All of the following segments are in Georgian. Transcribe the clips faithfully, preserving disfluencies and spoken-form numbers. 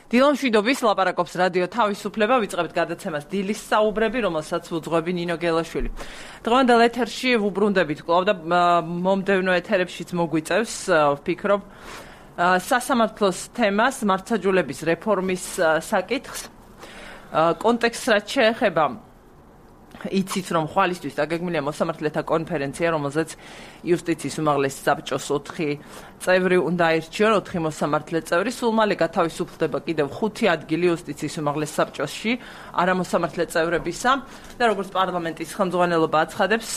დილონ მშვიდობის ლაპარაკობს რადიო თავისუფლება, ვიწყებთ გადაცემას დილის საუბრები, რომელსაც უძღვები ნინო გელაშვილი. დღევანდელ ეთერში ვუბრუნდებით კვლავ და მომდევნო ეთერებშიც მოგვიწევს, ვფიქრობ, სასამართლოს თემას, მართლმსაჯულების რეფორმის საკითხს. კონტექსტს რაც შეეხება, იცით რომ ხვალისთვის დაგეგმილია მოსამართლეთა კონფერენცია, რომელზეც იუსტიციის უმაღლესი საბჭოს ოთხი წევრი უნდა აირჩიონ, ოთხი მოსამართლე წევრი. სულ მალე გათავისუფლდება კიდევ ხუთი ადგილი იუსტიციის უმაღლეს საბჭოში არამოსამართლე წევრებისა და როგორც პარლამენტის ხელმძღვანელობა აცხადებს,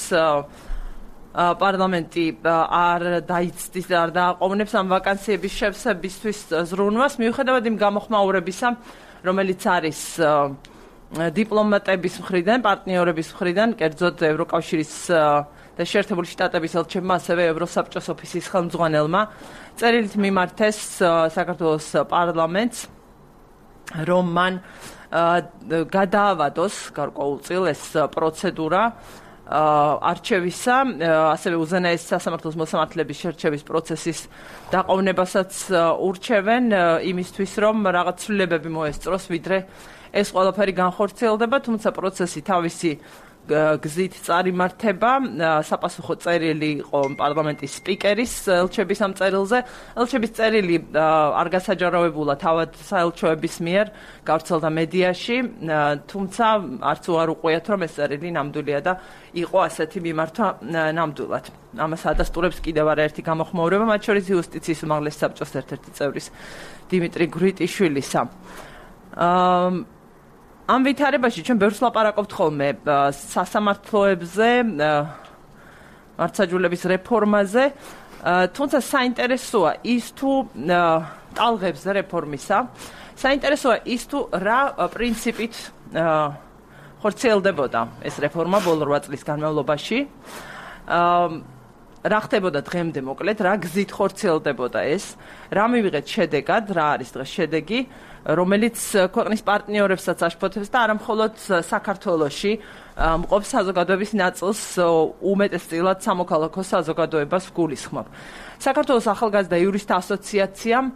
პარლამენტი არ დაიცდის და არ დააყოვნებს ამ ვაკანსიების შევსებისთვის ზრუნვას, მიუხედავად იმ გამოხმაურებისა, რომელიც არის დიპლომატების მხრიდან, პარტნიორების მხრიდან, კერძოდ ევროკავშირის და შეერთებული შტატების ელჩებმა, ასევე ევროსაბჭოს ოფისის ხელმძღვანელმა წერილით მიმართეს საქართველოს პარლამენტს, რომ მან გადაავადოს გარკვეულწილ ეს პროცედურა არჩევისა, ასევე უზენაესი სასამართლოს მოსამართლეების შერჩევის პროცესის დაყოვნებასაც ურჩევენ იმისთვის, რომ რაღაც ცვლილებები მოესწროს, ვიდრე ეს ყველაფერი განხორციელდება, თუმცა პროცესი თავისი გზით წარიმართება. საპასუხო წერილი იყო პარლამენტის სპიკერის ელჩების ამ წერილზე. ელჩების წერილი არ გასაჯაროვებულა თავად საელჩოების მიერ, გავრცელდა მედიაში, თუმცა არც უარ უყვიათ, რომ ეს წერილი ნამდვილია და იყო ასეთი მიმართვა ნამდვილად. ამას ადასტურებს კიდევ არაერთი გამოხმაურება, მათ შორის იუსტიციის უმაღლეს საბჭოს ერთ-ერთი წევრის დიმიტრი გვრიტიშვილისა. ამ ვითარებაში ჩვენ ბევრს ლაპარაკობთ ხოლმე სასამართლოებზე, მართლმსაჯულების რეფორმაზე, თუმცა საინტერესოა ის თუ ტალღებს რეფორმისა, საინტერესოა ის თუ რა პრინციპით ხორციელდებოდა ეს რეფორმა ბოლო რვა წლის განმავლობაში, რა ხდებოდა დღემდე მოკლედ, რა გზით ხორციელდებოდა ეს, რა მივიღეთ შედეგად, რა არის დღეს შედეგი, რომელიც ქვეყნის პარტნიორებსაც აშფოთებს და არა მხოლოდ საქართველოში მყოფ საზოგადოების ნაწილს უმეტესწილად სამოქალაქო საზოგადოებას გულისხმობ. საქართველოს ახალგაზრდა იურისტთა ასოციაციამ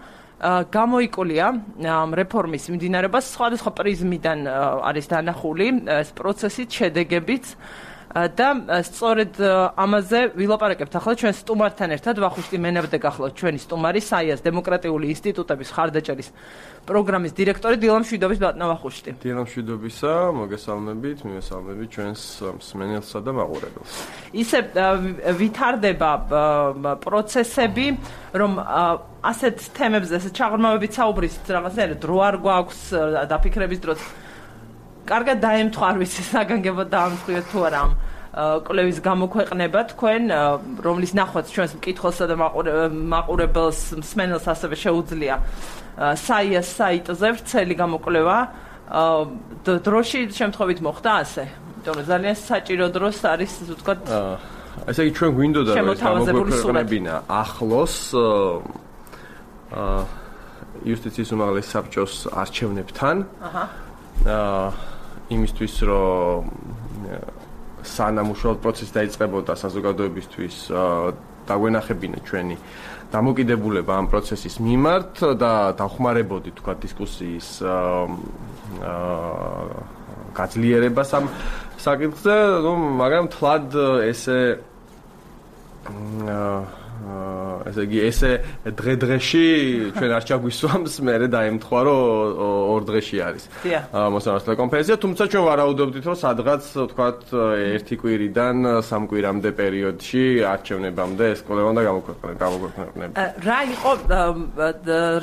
გამოიკვლია ამ რეფორმის მიმდინარეობას სხვადასხვა პრიზმიდან არის დანახული ეს პროცესით, შედეგებიც და სწორედ ამაზე ვილაპარაკებთ ახლა ჩვენ სტუმართან ერთად. ვახუშტი მენაბდა გახლავთ ჩვენი სტუმარი, საიას დემოკრატიული ინსტიტუტების ხარდაჭერის პროგრამის დირექტორი. დილონ მშვიდობის ბატონო ვახუშტი. დილონ მშვიდობისა, მოგესალმებით, მივესალმებით ჩვენს მსმენელსა და მაყურებელს. ისე ვითარდება პროცესები, რომ ასეთ თემებზე, ასეთ ჩაღრმავებით საუბრის რაღაცნაირად დრო არ გვაქვს დაფიქრების დროც. კარგად დაემთხვა, არ ვიცი, საგანგებოდ დაამთხვიოთ თუ არა ამ კვლევის გამოქვეყნება თქვენ, რომლის ნახვაც ჩვენს მკითხველსა და მაყურებელს, მსმენელს ასევე შეუძლია საიას საიტზე ვრცელი გამოკვლევა. დროში შემთხვევით მოხდა ასე? იმიტომ რომ ძალიან საჭირო დროს არის, ასე ვთქვათ, ესე იგი ჩვენ გვინდოდა რომ ეს გამოქვეყნებინა ახლოს იუსტიციის უმაღლეს საბჭოს არჩევნებთან. აჰა. იმისთვის რომ სანამ უშუალოდ პროცესი დაიწყებოდა საზოგადოებისთვის დაგვენახებინა ჩვენი დამოკიდებულება ამ პროცესის მიმართ და დავხმარებოდი თქვა დისკუსიის გაძლიერებას ამ საკითხზე, მაგრამ თლად ესე ესე იგი ესე დღე-დღეში ჩვენ არ ჩაგვისვამს, მერე დაემთხვა რომ ორ დღეში არის მოსამართლე კონფერენცია, თუმცა ჩვენ ვარაუდობდით რომ სადღაც ვთქვათ ერთი კვირიდან სამ კვირამდე პერიოდში არჩევნებამდე ეს კვლევა უნდა გამოქვეყნება. რა იყო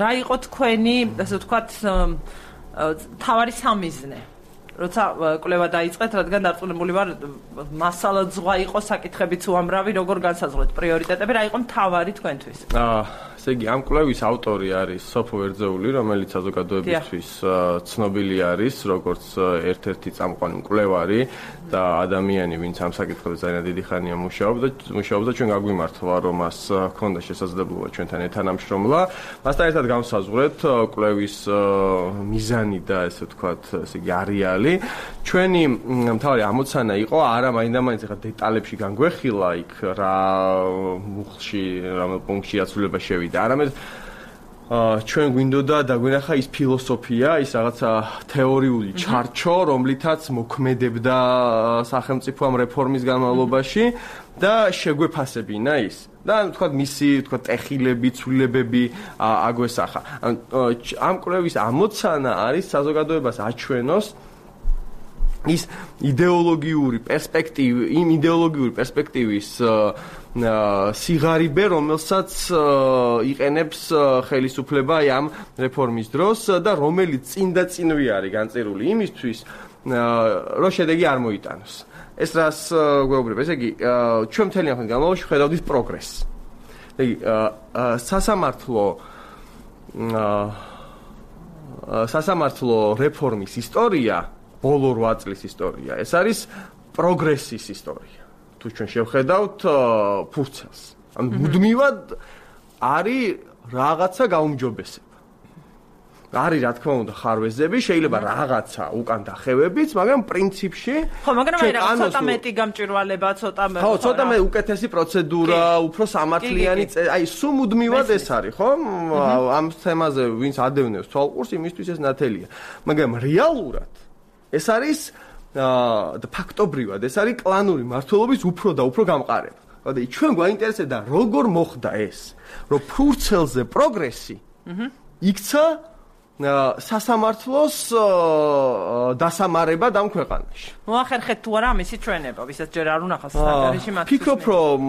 რა იყო თქვენი, ასე ვთქვათ, თავარი სამიზნე? როცა კვლევა დაიწყეთ, რადგან დარწმუნებული ვარ, მასალა ზღვა იყო, საკითხებიც უამრავი, როგორ განსაზღვრეთ პრიორიტეტები, რა იყო მთავარი თქვენთვის? აა, ესე იგი, ამ კვლევის ავტორი არის სოფო ვერძეული, რომელიც საზოგადოებისთვის ცნობილი არის, როგორც ერთ-ერთი წამყვანი მკვლევარი და ადამიანი, ვინც ამ საკითხებზე ძალიან დიდი ხანია მუშაობდა, მუშაობდა, ჩვენ გაგვიმართლა, რომ მას ჰქონდა შესაძლებლობა ჩვენთან ეთანამშრომლა. მასთან ერთად განსაზღვრეთ კვლევის მიზანი და ესე ვთქვათ, ესე იგი, არეალი. ჩვენი მთავარი ამოცანა იყო, არა მაინდა-მაინც ახლა დეტალებში განგვეხილა იქ რა მუხლში, რა პუნქტში აცვლება შევიდა, არამედ ჩვენ გვინდოდა დაგვენახა ის ფილოსოფია, ის რაღაცა თეორიული ჩარჩო, რომლითაც მოქმედებდა სახელმწიფო ამ რეფორმის განმავლობაში და შეგვეფასებინა ის. და თქვა მისი თქვა ტეხილები, ცვლილებები აგვესახა. ამ კვლევის ამოცანა არის საზოგადოებას აჩვენოს ის იდეოლოგიური პერსპექტივი, იმ იდეოლოგიური პერსპექტივის სიღარიბე, რომელსაც იყენებს ხელისუფლება ამ რეფორმის დროს და რომელიც წინ და წინვე არის განწერული იმისთვის, რომ შედეგი არ მოიტანოს. ეს რას გვეუბნება? ესე იგი, ჩვენ მთელი ამ განმავლობაში ხედავდით პროგრესს. ესე იგი, სასამართლო სასამართლო რეფორმის ისტორია, ბოლო რვა წლის ისტორია, ეს არის პროგრესის ისტორია. თუ ჩვენ შევხედავთ ფურცელს. ანუ მუდმივად არის რაღაცა გაუმჯობესება. არის რა თქმა უნდა ხარვეზები, შეიძლება რაღაცა უკან დახევებიც, მაგრამ პრინციპში ხო, მაგრამ აი რაღაც ცოტა მეტი გამჭვირვალება, ცოტა მე ხო, ცოტა მე უკეთესი პროცედურა, უფრო სამართლიანი, აი სულ მუდმივად ეს არის, ხო? ამ თემაზე ვინც ადევნებს თვალყურს, იმისთვის ეს ნათელია. მაგრამ რეალურად ეს არის და ფაქტობრივად ეს არის კლანური მმართველობის უფრო და უფრო გამყარება. ხოდა ჩვენ გვაინტერესებდა როგორ მოხდა ეს, რომ ფურცელზე პროგრესი იქცა სასამართლოს დასამარება ამ ქვეყანაში. მოახერხეთ თუ არა ამისი ჩვენება, ვისაც ჯერ არ უნახავს საგარეში მათ. ფიქრობ რომ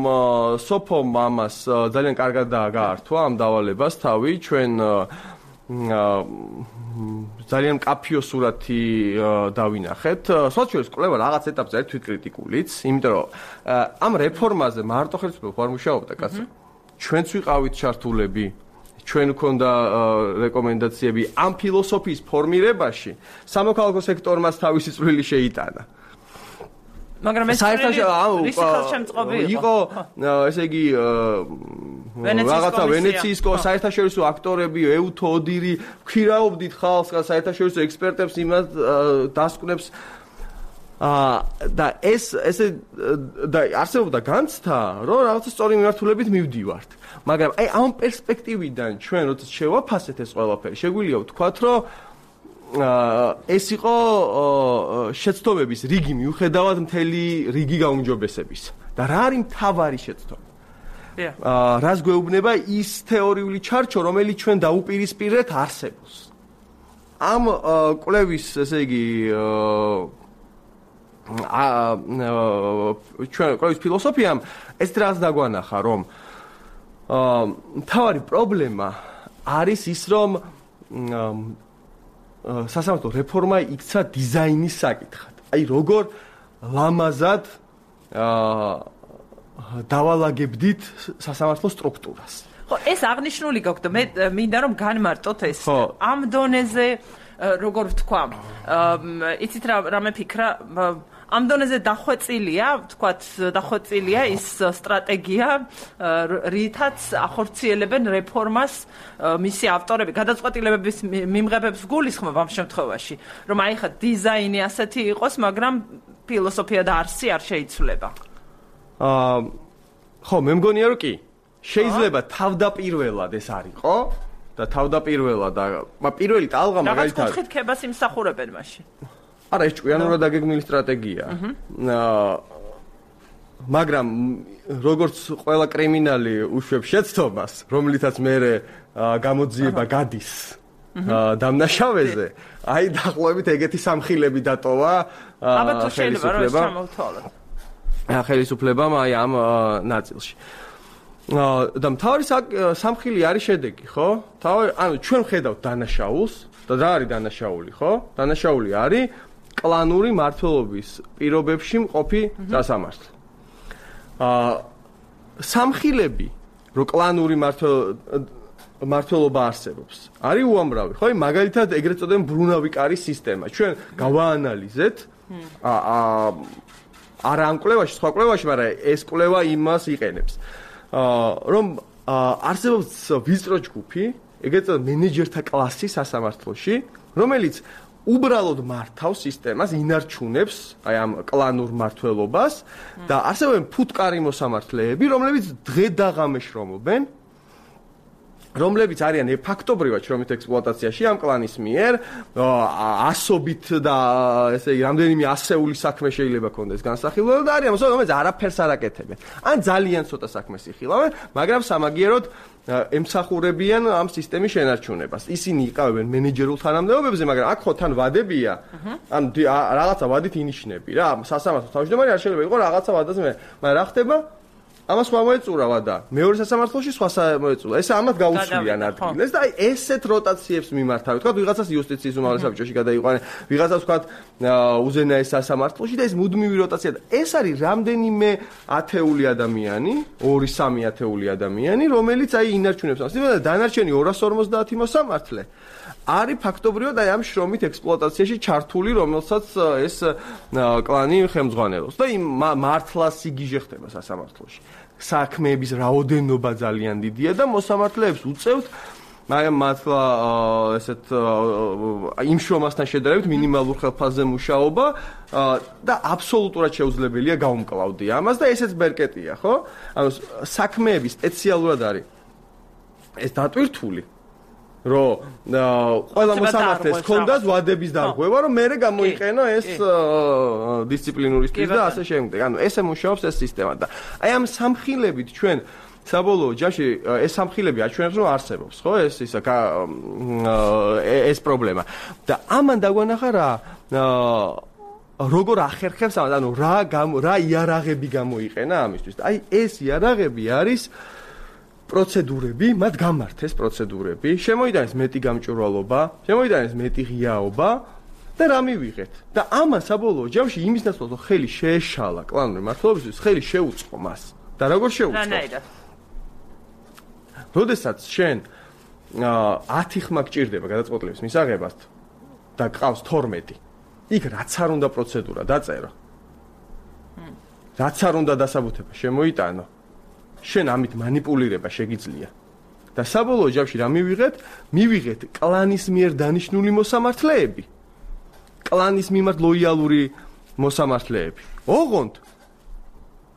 სოფომ ამას ძალიან კარგად გაართვა ამ დავალებას თავი, ჩვენ ძალიან მკაფიო სურათი დავინახეთ. სოციალურ კვლევა რაღაც ეტაპზე არის თვითკრიტიკულიც, იმიტომ რომ ამ რეფორმაზე მარტო ხელისუფლება არ მუშაობდა, კაცო. ჩვენც ვიყავით ჩართულები, ჩვენ გვქონდა რეკომენდაციები ამ ფილოსოფიის ფორმირებაში, სამოქალაქო სექტორმაც თავისი წვლილი შეიტანა. მაგრამ ეს იყო, ესე იგი, რაღაცა ვენეციის საერთაშორისო აქტორები, ეუთო ოდირი, ვქირავდით ხალხს, საერთაშორისო ექსპერტებს, იმას დასკვნებს და ეს ესე და არსებობდა განცდა, რომ რაღაცა სწორი მიმართულებით მივდივართ. მაგრამ აი ამ პერსპექტივიდან ჩვენ როცა შევაფასეთ ეს ყველაფერი, შეგვიძლია ვთქვათ, რომ ეს იყო შეცდომების რიგი მიუხედავად მთელი რიგი გაუმჯობესების. და რა არის მთავარი შეცდომა? რას გვეუბნება ის თეორიული ჩარჩო, რომელიც ჩვენ დაუპირისპირეთ არსებობს. ამ კვლევის, ესე იგი, ჩვენ კვლევის ფილოსოფიამ ეს რას დაგვანახა, რომ მთავარი პრობლემა არის ის, რომ სასამართლო რეფორმა იქცა დიზაინის საკითხად. აი როგორ ლამაზად დავალაგებდით სასამართლო სტრუქტურას. ხო, ეს აღნიშნული გაქვთ და მე მინდა რომ განმარტოთ ეს ამ დონეზე როგორ ვთქვა. იცით რა რა მეფიქრა ამ დონეზე დახვეწილია, ვთქვათ, დახვეწილია ის სტრატეგია, რითაც ახორციელებენ რეფორმას მისი ავტორები, გადაწყვეტილებების მიმღებებს გულისხმობ ამ შემთხვევაში, რომ აი ხა დიზაინი ასეთი იყოს, მაგრამ ფილოსოფია და არსი არ შეიცვლება. აა ხო, მე მგონია რომ კი. შეიძლება თავდაპირველად ეს არ იყო და თავდაპირველად და პირველი ტალღა მაგალითად რაღაც კუთხით ქებას იმსახურებენ მაშინ. არა, ეს ჭკვიანურად დაგეგმილი სტრატეგია. აა მაგრამ როგორც ყველა კრიმინალი უშვებს შეცდომას, რომლითაც მეરે გამოძიება გადის დამნაშავეზე, აი დაახლოებით ეგეთი სამხილები დატოვა ხელისუფლებამ. ხელისუფლებამ აი ამ ნაწილში. და მთავარი სამხილი არის შედეგი, ხო? თავი, ანუ ჩვენ ხედავთ დანაშაულს და რა არის დანაშაული, ხო? დანაშაული არის კლანური მმართველობის პირობებში მყოფი სასამართლო. აა სამხილები, რომ კლანური მმართველობა არსებობს, არის უამრავი, ხო? მაგალითად, ეგრეთ წოდებული ბრუნავი კარის სისტემა. ჩვენ გავაანალიზეთ აა არა ამ კვლევაში, სხვა კვლევაში, მაგრამ ეს კვლევა იმას იყენებს. აა რომ არსებობს ვიწრო ჯგუფი, ეგრეთ წოდებული მენეჯერთა კლასი სასამართლოში, რომელიც უბრალოდ მართავს სისტემას, ინარჩუნებს აი ამ კლანურ მმართველობას და არსებობენ ფუტკარი მოსამართლეები, რომლებიც დღე და ღამე შრომობენ რომლებიც არიან ფაქტობრივად შრომით ექსპლუატაციაში ამ კლანის მიერ, ასობით და ესე იგი რამდენიმე ასეული საქმე შეიძლება კონდეს განსახილველი და არიან მოსახლეობა, რომელიც არაფერს არ აკეთებენ. ან ძალიან ცოტა საქმეს იხილავენ, მაგრამ სამაგიეროდ ემსახურებიან ამ სისტემის შენარჩუნებას. ისინი იყავენ მენეჯერულ თანამდებობებზე, მაგრამ აქ ხო თან ვადებია. ან რაღაცა ვადით ინიშნები რა. სასამართლო თავმჯდომარე არ შეიძლება იყოს რაღაცა ვადაზე მე. მაგრამ რა ხდება? ამას სხვა მოეწურავა და მეორე სასამართლოში სხვა მოეწულა. ეს ამათ გაუცვლიან ადგილს და აი ესეთ როტაციებს მიმართავენ. თქვა ვიღაცას იუსტიციის უმაღლეს საბჭოში გადაიყვანენ, ვიღაცას თქვა უზენაეს სასამართლოში და ეს მუდმივი როტაცია და ეს არის რამდენიმე ათეული ადამიანი, ორი სამი ათეული ადამიანი, რომელიც აი ინარჩუნებს ამ სისტემას და დანარჩენი ორას ორმოცდაათი მოსამართლე არის ფაქტობრივად აი ამ შრომით ექსპლუატაციაში ჩართული, რომელსაც ეს კლანი ხელმძღვანელობს და იმ მართლას იგიჟე ხდება სასამართლოში. საქმეების რაოდენობა ძალიან დიდია და მოსამართლეებს უწევთ მაგრამ მართლა ესეთ იმ შრომასთან შედარებით მინიმალურ ხელფასზე მუშაობა და აბსოლუტურად შეუძლებელია გაუმკლავდე ამას და ესეც ბერკეტია, ხო? ანუ საქმეები სპეციალურად არის ეს დატვირთული რომ ყველა მოსამართლეს ჰქონდას ვადების დარღვევა, რომ მერე გამოიყენო ეს დისციპლინური სტილი და ასე შემდეგ. ანუ ესე მუშაობს ეს სისტემა და აი ამ სამხილებით ჩვენ საბოლოო ჯამში ეს სამხილები აჩვენებს რომ არსებობს, ხო? ეს ისა ეს პრობლემა. და ამან დაგვანახა რა როგორ ახერხებს ამას, ანუ რა რა იარაღები გამოიყენა ამისთვის. აი ეს იარაღები არის პროცედურები, მათ გამართეს პროცედურები, შემოიტანეს მეტი გამჭვირვალობა, შემოიტანეს მეტი ღიაობა და რა მივიღეთ. და ამან საბოლოო ჯამში იმის ნაცვლად რომ ხელი შეეშალა კლანური მმართველობისთვის, ხელი შეუწყო მას. და როგორ შეუწყო? რანაირად? როდესაც შენ ათი ხმა გჭირდება გადაწყვეტილების მისაღებად და გყავს თორმეტი, იქ რაც არ უნდა პროცედურა დაწერო. რაც არ უნდა დასაბუთება შემოიტანო. შენ ამით манипуლირება შეგიძლია. და საბოლოო ჯამში რა მივიღეთ? მივიღეთ კლანის მიერ დანიშნული მოსამართლეები. კლანის მიმართ ლოიალური მოსამართლეები. ოღონდ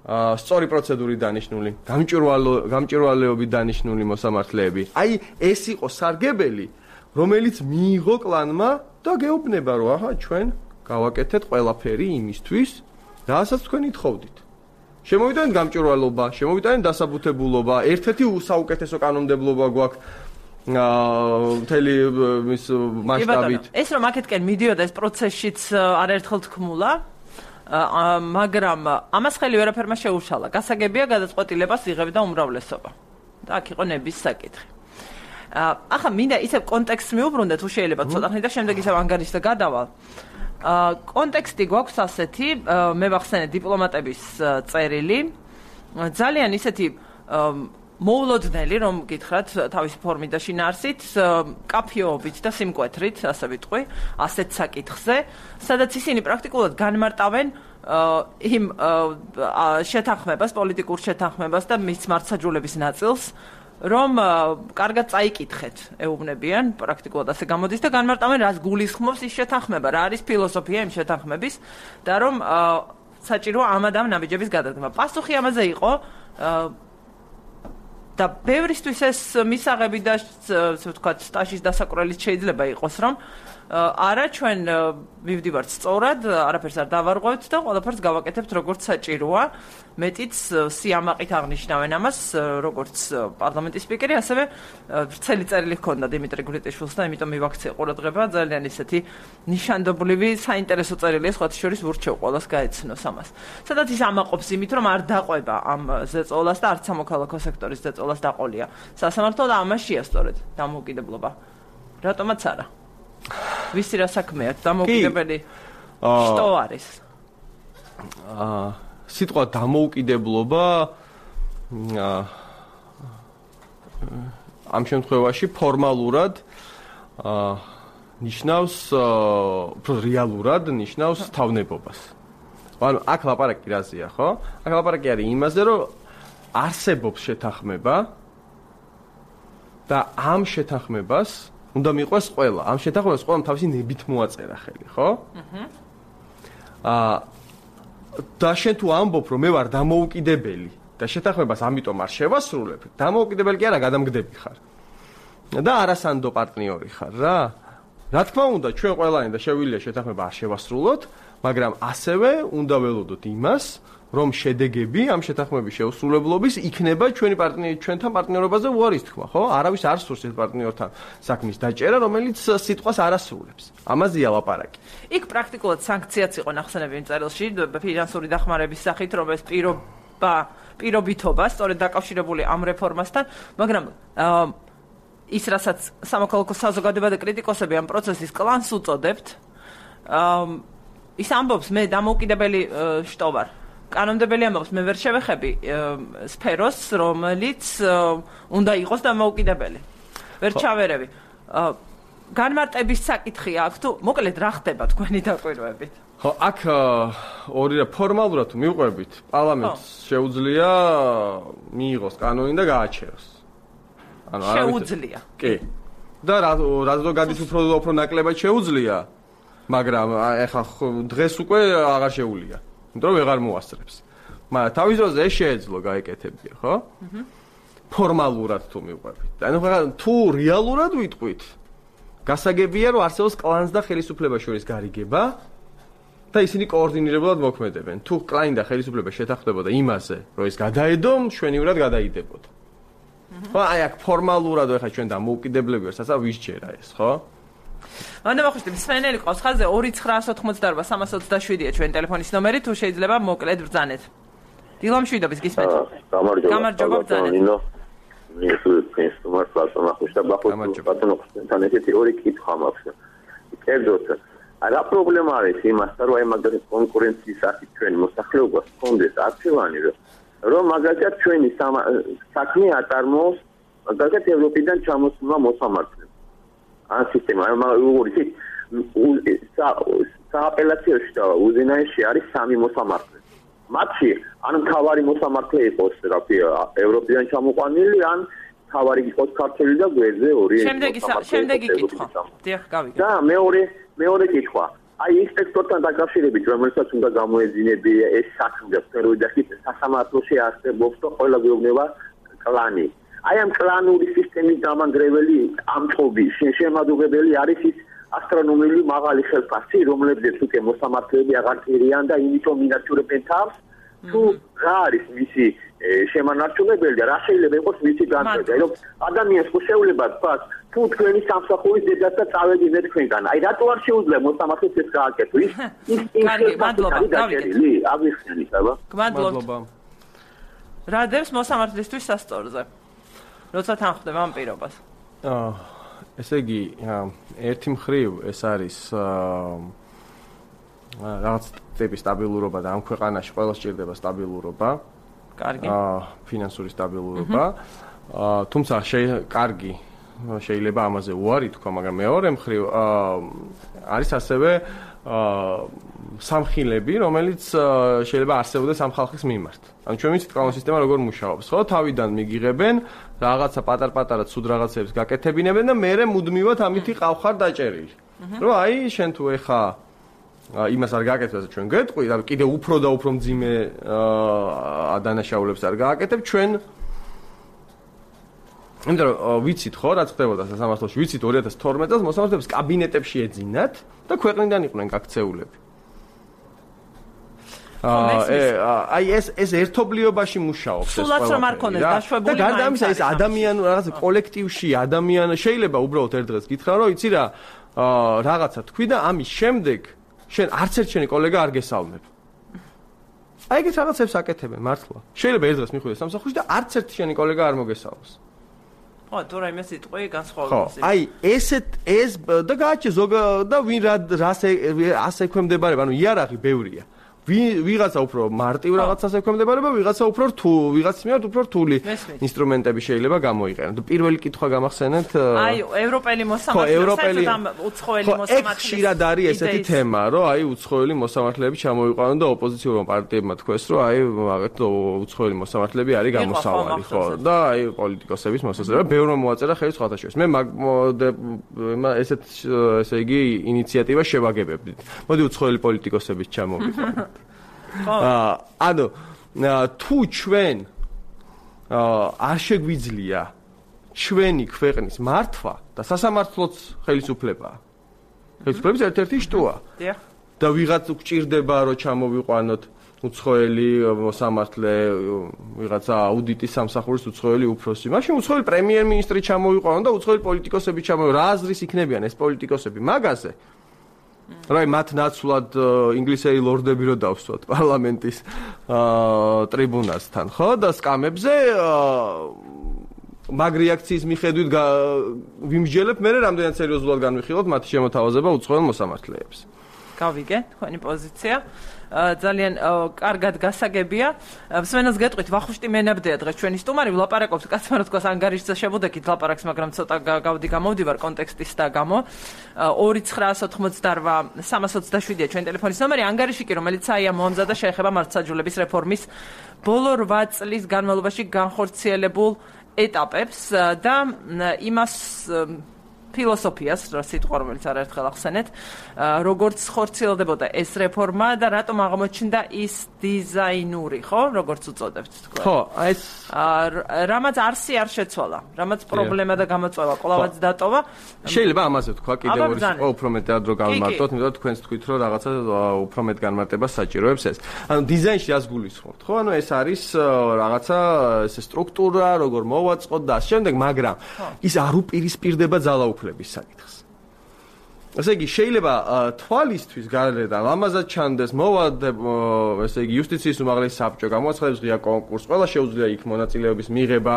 აა სწორი პროცედურით დანიშნული, გამჭვირვალო გამჭვირვალეობით დანიშნული მოსამართლეები. აი ეს იყო სარგებელი, რომელიც მიიღო კლანმა და გეუბნება რომ აჰა ჩვენ გავაკეთეთ ყველაფერი იმისთვის, რასაც თქვენ ითხოვდით. შემოვიტანეთ გამჭვირვალობა, შემოვიტანეთ დასაბუთებულობა, ერთ-ერთი საუკეთესო კანონმდებლობა გვაქვს მთელი მის მასშტაბით. ეს რომ აქეთკენ მიდიოდა ეს პროცესშიც არაერთხელ თქმულა, მაგრამ ამას ხელი ვერაფერმა შეუშალა. გასაგებია გადაწყვეტილებას იღებდა უმრავლესობა. და აქ იყო ნების საკითხი. ახლა მინდა ისევ კონტექსტს მიუბრუნდეთ, თუ შეიძლება ცოტა ხნით და შემდეგ ისევ ანგარიშზე გადავალ. კონტექსტი გვაქვს ასეთი, მე ვახსენე დიპლომატების წერილი, ძალიან ისეთი მოულოდნელი, რომ გითხრათ თავისი ფორმით და შინაარსით, კაფეობით და სიმკვეთრით, ასე ვიტყვი, ასეთ საკითხზე, სადაც ისინი პრაქტიკულად განმარტავენ იმ შეთანხმებას, პოლიტიკურ შეთანხმებას და მის მართლმსაჯულების ნაწილს, რომ კარგად წაიკითხეთ, ეუბნებიან, პრაქტიკულად ასე გამოდის და განმარტავენ, რას გულისხმობს ის შეთანხმება, რა არის ფილოსოფია იმ შეთანხმების და რომ საჭიროა ამ ამ ნაბიჯების გადადგმა. პასუხი ამაზე იყო და ბევრისთვის ეს მისაღები და ასე ვთქვათ, სტაჟის დასაკვრელიც შეიძლება იყოს, რომ არა ჩვენ მივდივართ სწორად, არაფერს არ დავარღვევთ და ყველაფერს გავაკეთებთ როგორც საჭიროა. მეტიც სიამაყით აღნიშნავენ ამას, როგორც პარლამენტის სპიკერი, ასევე ვრცელი წერილი ჰქონდა დიმიტრი გვრიტიშვილს და იმიტომ მივაქცია ყურადღება, ძალიან ისეთი ნიშანდობლივი, საინტერესო წერილია, სხვათა შორის ვურჩევ ყველას გაეცნოს ამას. სადაც ის ამაყობს იმით, რომ არ დაყვება ამ ზეწოლას და არც სამოქალაქო სექტორის ზეწოლას დაყოლია სასამართლო და ამაშია სწორედ დამოუკიდებლობა. რატომაც არა? ვისი რა საქმეა დამოუკიდებელი შტო არის? აა სიტყვა დამოუკიდებლობა ამ შემთხვევაში ფორმალურად აა ნიშნავს უფრო რეალურად ნიშნავს თავნებობას. ანუ აქ ლაპარაკი რაზეა, ხო? აქ ლაპარაკი არის იმაზე, რომ არსებობს შეთანხმება და ამ შეთანხმებას უნდა მიყვეს ყველა. ამ შეთანხმებას ყველამ თავისი ნებით მოაწერა ხელი, ხო? აჰა. აა და შენ თუ ამბობ, რომ მე ვარ დამოუკიდებელი და შეთანხმებას ამიტომ არ შევასრულებ, დამოუკიდებელი კი არა, გადამგდები ხარ. და არასანდო პარტნიორი ხარ რა. რა თქმა უნდა, ჩვენ ყველანი და შეგვიძლია შეთანხმება არ შევასრულოთ, მაგრამ ასევე უნდა ველოდოთ იმას, რომ შედეგები ამ შეთანხმების შეუსრულებლობის იქნება ჩვენი პარტნიორი ჩვენთან პარტნიორობაზე უარის თქმა, ხო? არავის არ სურს ეს პარტნიორთან საქმის დაჭერა, რომელიც სიტყვას არ ასრულებს. ამაზეა ლაპარაკი. იქ პრაქტიკულად სანქციაც იყო ნახსენები იმ წერილში, ფინანსური დახმარების სახით, რომ ეს პირობა, პირობითობა სწორედ დაკავშირებული ამ რეფორმასთან, მაგრამ ის რასაც სამოქალაქო საზოგადოება და კრიტიკოსები ამ პროცესის კლანს უწოდებთ, ის ამბობს მე დამოუკიდებელი შტო ვარ. კანონმდებელი ამბობს მე ვერ შევეხები სფეროს, რომელიც უნდა იყოს დამოუკიდებელი. ვერ ჩავერევი. განმარტების საკითხი აქვს თუ მოკლედ რა ხდება თქვენი დაკვირვებით? ხო, აქ ორი რა ფორმალურად მივყვებით, პარლამენტს შეუძლია მიიღოს კანონი და გააჩეროს. ანუ შეუძლია. კი. და რა რა გადის უფრო უფრო ნაკლებად შეუძლია, მაგრამ ეხლა დღეს უკვე აღარ შეუძლია. იმიტომ რომ ვეღარ მოასწრებს. მაგრამ თავის დროზე ეს შეეძლო გაეკეთებია, ხო? აჰა. ფორმალურად თუ მივყვებით. ანუ თუ რეალურად ვიტყვით, გასაგებია რომ არსებობს კლანს და ხელისუფლებას შორის გარიგება და ისინი კოორდინირებულად მოქმედებენ. თუ კლანი და ხელისუფლება შეთანხმდებოდა იმაზე, რომ ეს გადაედო, მშვენივრად გადაიდებოდა. ხო, აი აქ ფორმალურად ეხა ჩვენ დამოუკიდებლები ვართ, ասა ვისჯერა ეს, ხო? ანუ მოხდები სვენელი ყავს ხაზზე ორი ცხრაასი ოცდაოთხმოცდაარბა სამას ოცდაშვიდია ჩვენ ტელეფონის ნომერი, თუ შეიძლება მოკლედ ბრძანეთ. დილამშვიდობის გისმენთ. გამარჯობა ბრძანეთ. ეს თუმარ პლატონა ხუშტა ბახუს პლატონა ხუშტა ნეთეთი ორი კითხვა მაქვს. კერძოდ რა პრობლემა არის იმასთან, რომ აი მაგალითად კონკურენციის სახით ჩვენი მოსახლეობას ჰქონდეს არჩევანი, რომ მაგალითად ჩვენი საქმე აწარმოოს მაგალითად ევროპიდან ჩამოსულმა მოსამართლემ. ან სისტემა, როგორიც სააპელაციოში და უზენაეში არის სამი მოსამართლე. მათში ან მთავარი მოსამართლე იყოს რაფია ევროპიდან ჩამოყვანილი, ან მთავარი იყოს ქართველი და გვერდზე ორი შემდეგი შემდეგი კითხვა. დიახ, გავიგე. და მეორე მეორე კითხვა. აი ინსპექტორთან დაკავშირებით, რომელსაც უნდა გამოეძინები ეს საქმე, ფეროიდახით სასამართლოში არსებობს და ყველა გვეუბნება კლანი. აი ამ კლანური სისტემის დამანგრეველი ამწყობი შემადუღებელი არის ის ასტრონომიული მაღალი ხელფასი, რომლებზეც უკვე მოსამართლეები აღარ კირიან და იმიტომ მინაჩურებენ თავს, თუ რა არის მისი შემანარჩუნებელი და რა შეიძლება იყოს მისი განცდა, რომ ადამიანს ხო შეუძლება თქვა, თუ თქვენი სამსახურის დედას და წავედი მე თქვენგან. აი რატო არ შეუძლია მოსამართლეს ეს გააკეთო? ის ის ის მადლობა, დავიგე. აღიხსენით, აბა. მადლობა. რა დევს მოსამართლისთვის სასწორზე? როცა თანხდება ამ პირობას. აა ესე იგი, ერთი მხრივ ეს არის რაღაც ტიპის სტაბილურობა და ამ ქვეყანაში ყველას სჭირდება სტაბილურობა. კარგი. აა ფინანსური სტაბილურობა. აა თუმცა კარგი შეიძლება ამაზე უარი თქვა, მაგრამ მეორე მხრივ არის ასევე სამხილები, რომელიც შეიძლება არსებობდეს ამ ხალხის მიმართ. ანუ ჩვენ ვიცით კანონური სისტემა როგორ მუშაობს, ხო? თავიდან მიგიღებენ რაღაცა პატარ-პატარა ცუდ რაღაცებს გაკეთებინებენ და მერე მუდმივად ამითი ყავხარ დაჭერილი. რომ აი შენ თუ ეხა იმას არ გააკეთებს, ჩვენ გეტყვი, და კიდე უფრო და უფრო მძიმე დანაშაულებს არ გააკეთებ, ჩვენ იმიტომ რომ ვიცით ხო, რაც ხდებოდა სასამართლოში, ვიცით ორი ათას თორმეტ წელს მოსამართლეებს კაბინეტებში ეძინათ და ქვეყნიდან იყვნენ გაქცეულები. აი ეს ეს ერთობლიობაში მუშაობს ეს ყველაფერი. სულაც რომ არ ქონდეს დაშვებული. და გარდა ამისა ეს ადამიან რაღაც კოლექტივში ადამიან შეიძლება უბრალოდ ერთ დღეს გითხრა რომ იცი რა რაღაცა თქვი და ამის შემდეგ შენ არც ერთ შენი კოლეგა არ გესალმებ. აი ეს რაღაცებს აკეთებენ მართლა. შეიძლება ერთ დღეს მიხვიდე სამსახურში და არც ერთ შენი კოლეგა არ მოგესალმოს. ხო, თუ რაიმე სიტყვი განსხვავებული. აი ესეთ ეს და გააჩე ზოგ და ვინ რა ასე ექვემდებარება, ანუ იარაღი ბევრია. ვიღაცა უფრო მარტივ რაღაცას ექვემდებარება, ვიღაცა უფრო რთულ, ვიღაც მიერ უფრო რთული ინსტრუმენტები შეიძლება გამოიყენოს. პირველი კითხვა გამახსენეთ? აი, ევროპელი მოსამართლეები, უცხოელი მოსამართლეები. ეს ხშირად არის ესეთი თემა, რომ აი უცხოელი მოსამართლეები ჩამოიყვანონ და ოპოზიციურმა პარტიებმა თქვეს, რომ აი მაგათ უცხოელი მოსამართლეები არის გამოსავალი, ხო? და აი პოლიტიკოსების მოსაზრება ბევრმა მოაწერა ხელი სხვათა შორის. მე ესეთ ესე იგი ინიციატივა შევაგებებდით. მოდი უცხოელი პოლიტიკოსების ჩამოვიყვანოთ. აა ანუ თუ ჩვენ არ შეგვიძლია ჩვენი ქვეყნის მართვა და სასამართლოც ხელისუფლებაა. ხელისუფლების ერთ-ერთი შტოა. და ვიღაც გვჭირდება რომ ჩამოვიყვანოთ უცხოელი მოსამართლე, ვიღაცა აუდიტის სამსახურის უცხოელი უფროსი. მაშინ უცხოელი პრემიერ-მინისტრი ჩამოვიყვანოთ და უცხოელი პოლიტიკოსები ჩამოვიყვანოთ. რა აზრის იქნებიან ეს პოლიტიკოსები მაგაზე? რაი მათ ნაცვლად ინგლისელი ლორდები რო დავსვათ პარლამენტის ტრიბუნასთან, ხო? და სკამებზე მაგ რეაქციის მიხედვით ვიმსჯელებ, მე რამდენად სერიოზულად განვიხილოთ მათი შემოთავაზება უცხოელ მოსამართლეებს. გავიგე თქვენი პოზიცია. ძალიან კარგად გასაგებია. მსმენელს გეტყვით, ვახუშტი მენაბდეა დღეს ჩვენი სტუმარი, ვლაპარაკობს კაცმა რა თქოს ანგარიშზე შევუდექით ლაპარაკს, მაგრამ ცოტა გავდი გამოვდივარ კონტექსტის და გამო. ორი ცხრაას ოთხმოცდარვა სამას ოცდაშვიდია ჩვენი ტელეფონის ნომერი, ანგარიში კი რომელიც აია მომზადა შეეხება მართლმსაჯულების რეფორმის ბოლო რვა წლის განმავლობაში განხორციელებულ ეტაპებს და იმას ფილოსოფიას, რა სიტყვა რომელიც არაერთხელ ახსენეთ, როგორც ხორციელდებოდა ეს რეფორმა და რატომ აღმოჩნდა ის დიზაინური, ხო, როგორც უწოდებთ თქვენ. ხო, აი ეს რამაც არსი არ შეცვალა, რამაც პრობლემა და გამოწვევა კვლავაც დატოვა. შეიძლება ამაზე თქვა კიდევ ორი სიტყვა უფრო მეტად რო გავმარტოთ, იმიტომ რომ თქვენს თქვით რომ რაღაცა უფრო მეტ განმარტებას საჭიროებს ეს. ანუ დიზაინში რას გულისხმობთ, ხო? ანუ ეს არის რაღაცა ეს სტრუქტურა, როგორ მოვაწყოთ და ამ შემდეგ, მაგრამ ის არ უპირისპირდება ძალაუფლებას საკითხს. ესე იგი, შეიძლება თვალისთვის გარედან ამაზად ჩანდეს მოვადებ, ესე იგი, იუსტიციის უმაღლესი საბჭო გამოაცხადებს ღია კონკურსს, ყველა შეუძლია იქ მონაწილეობის მიღება,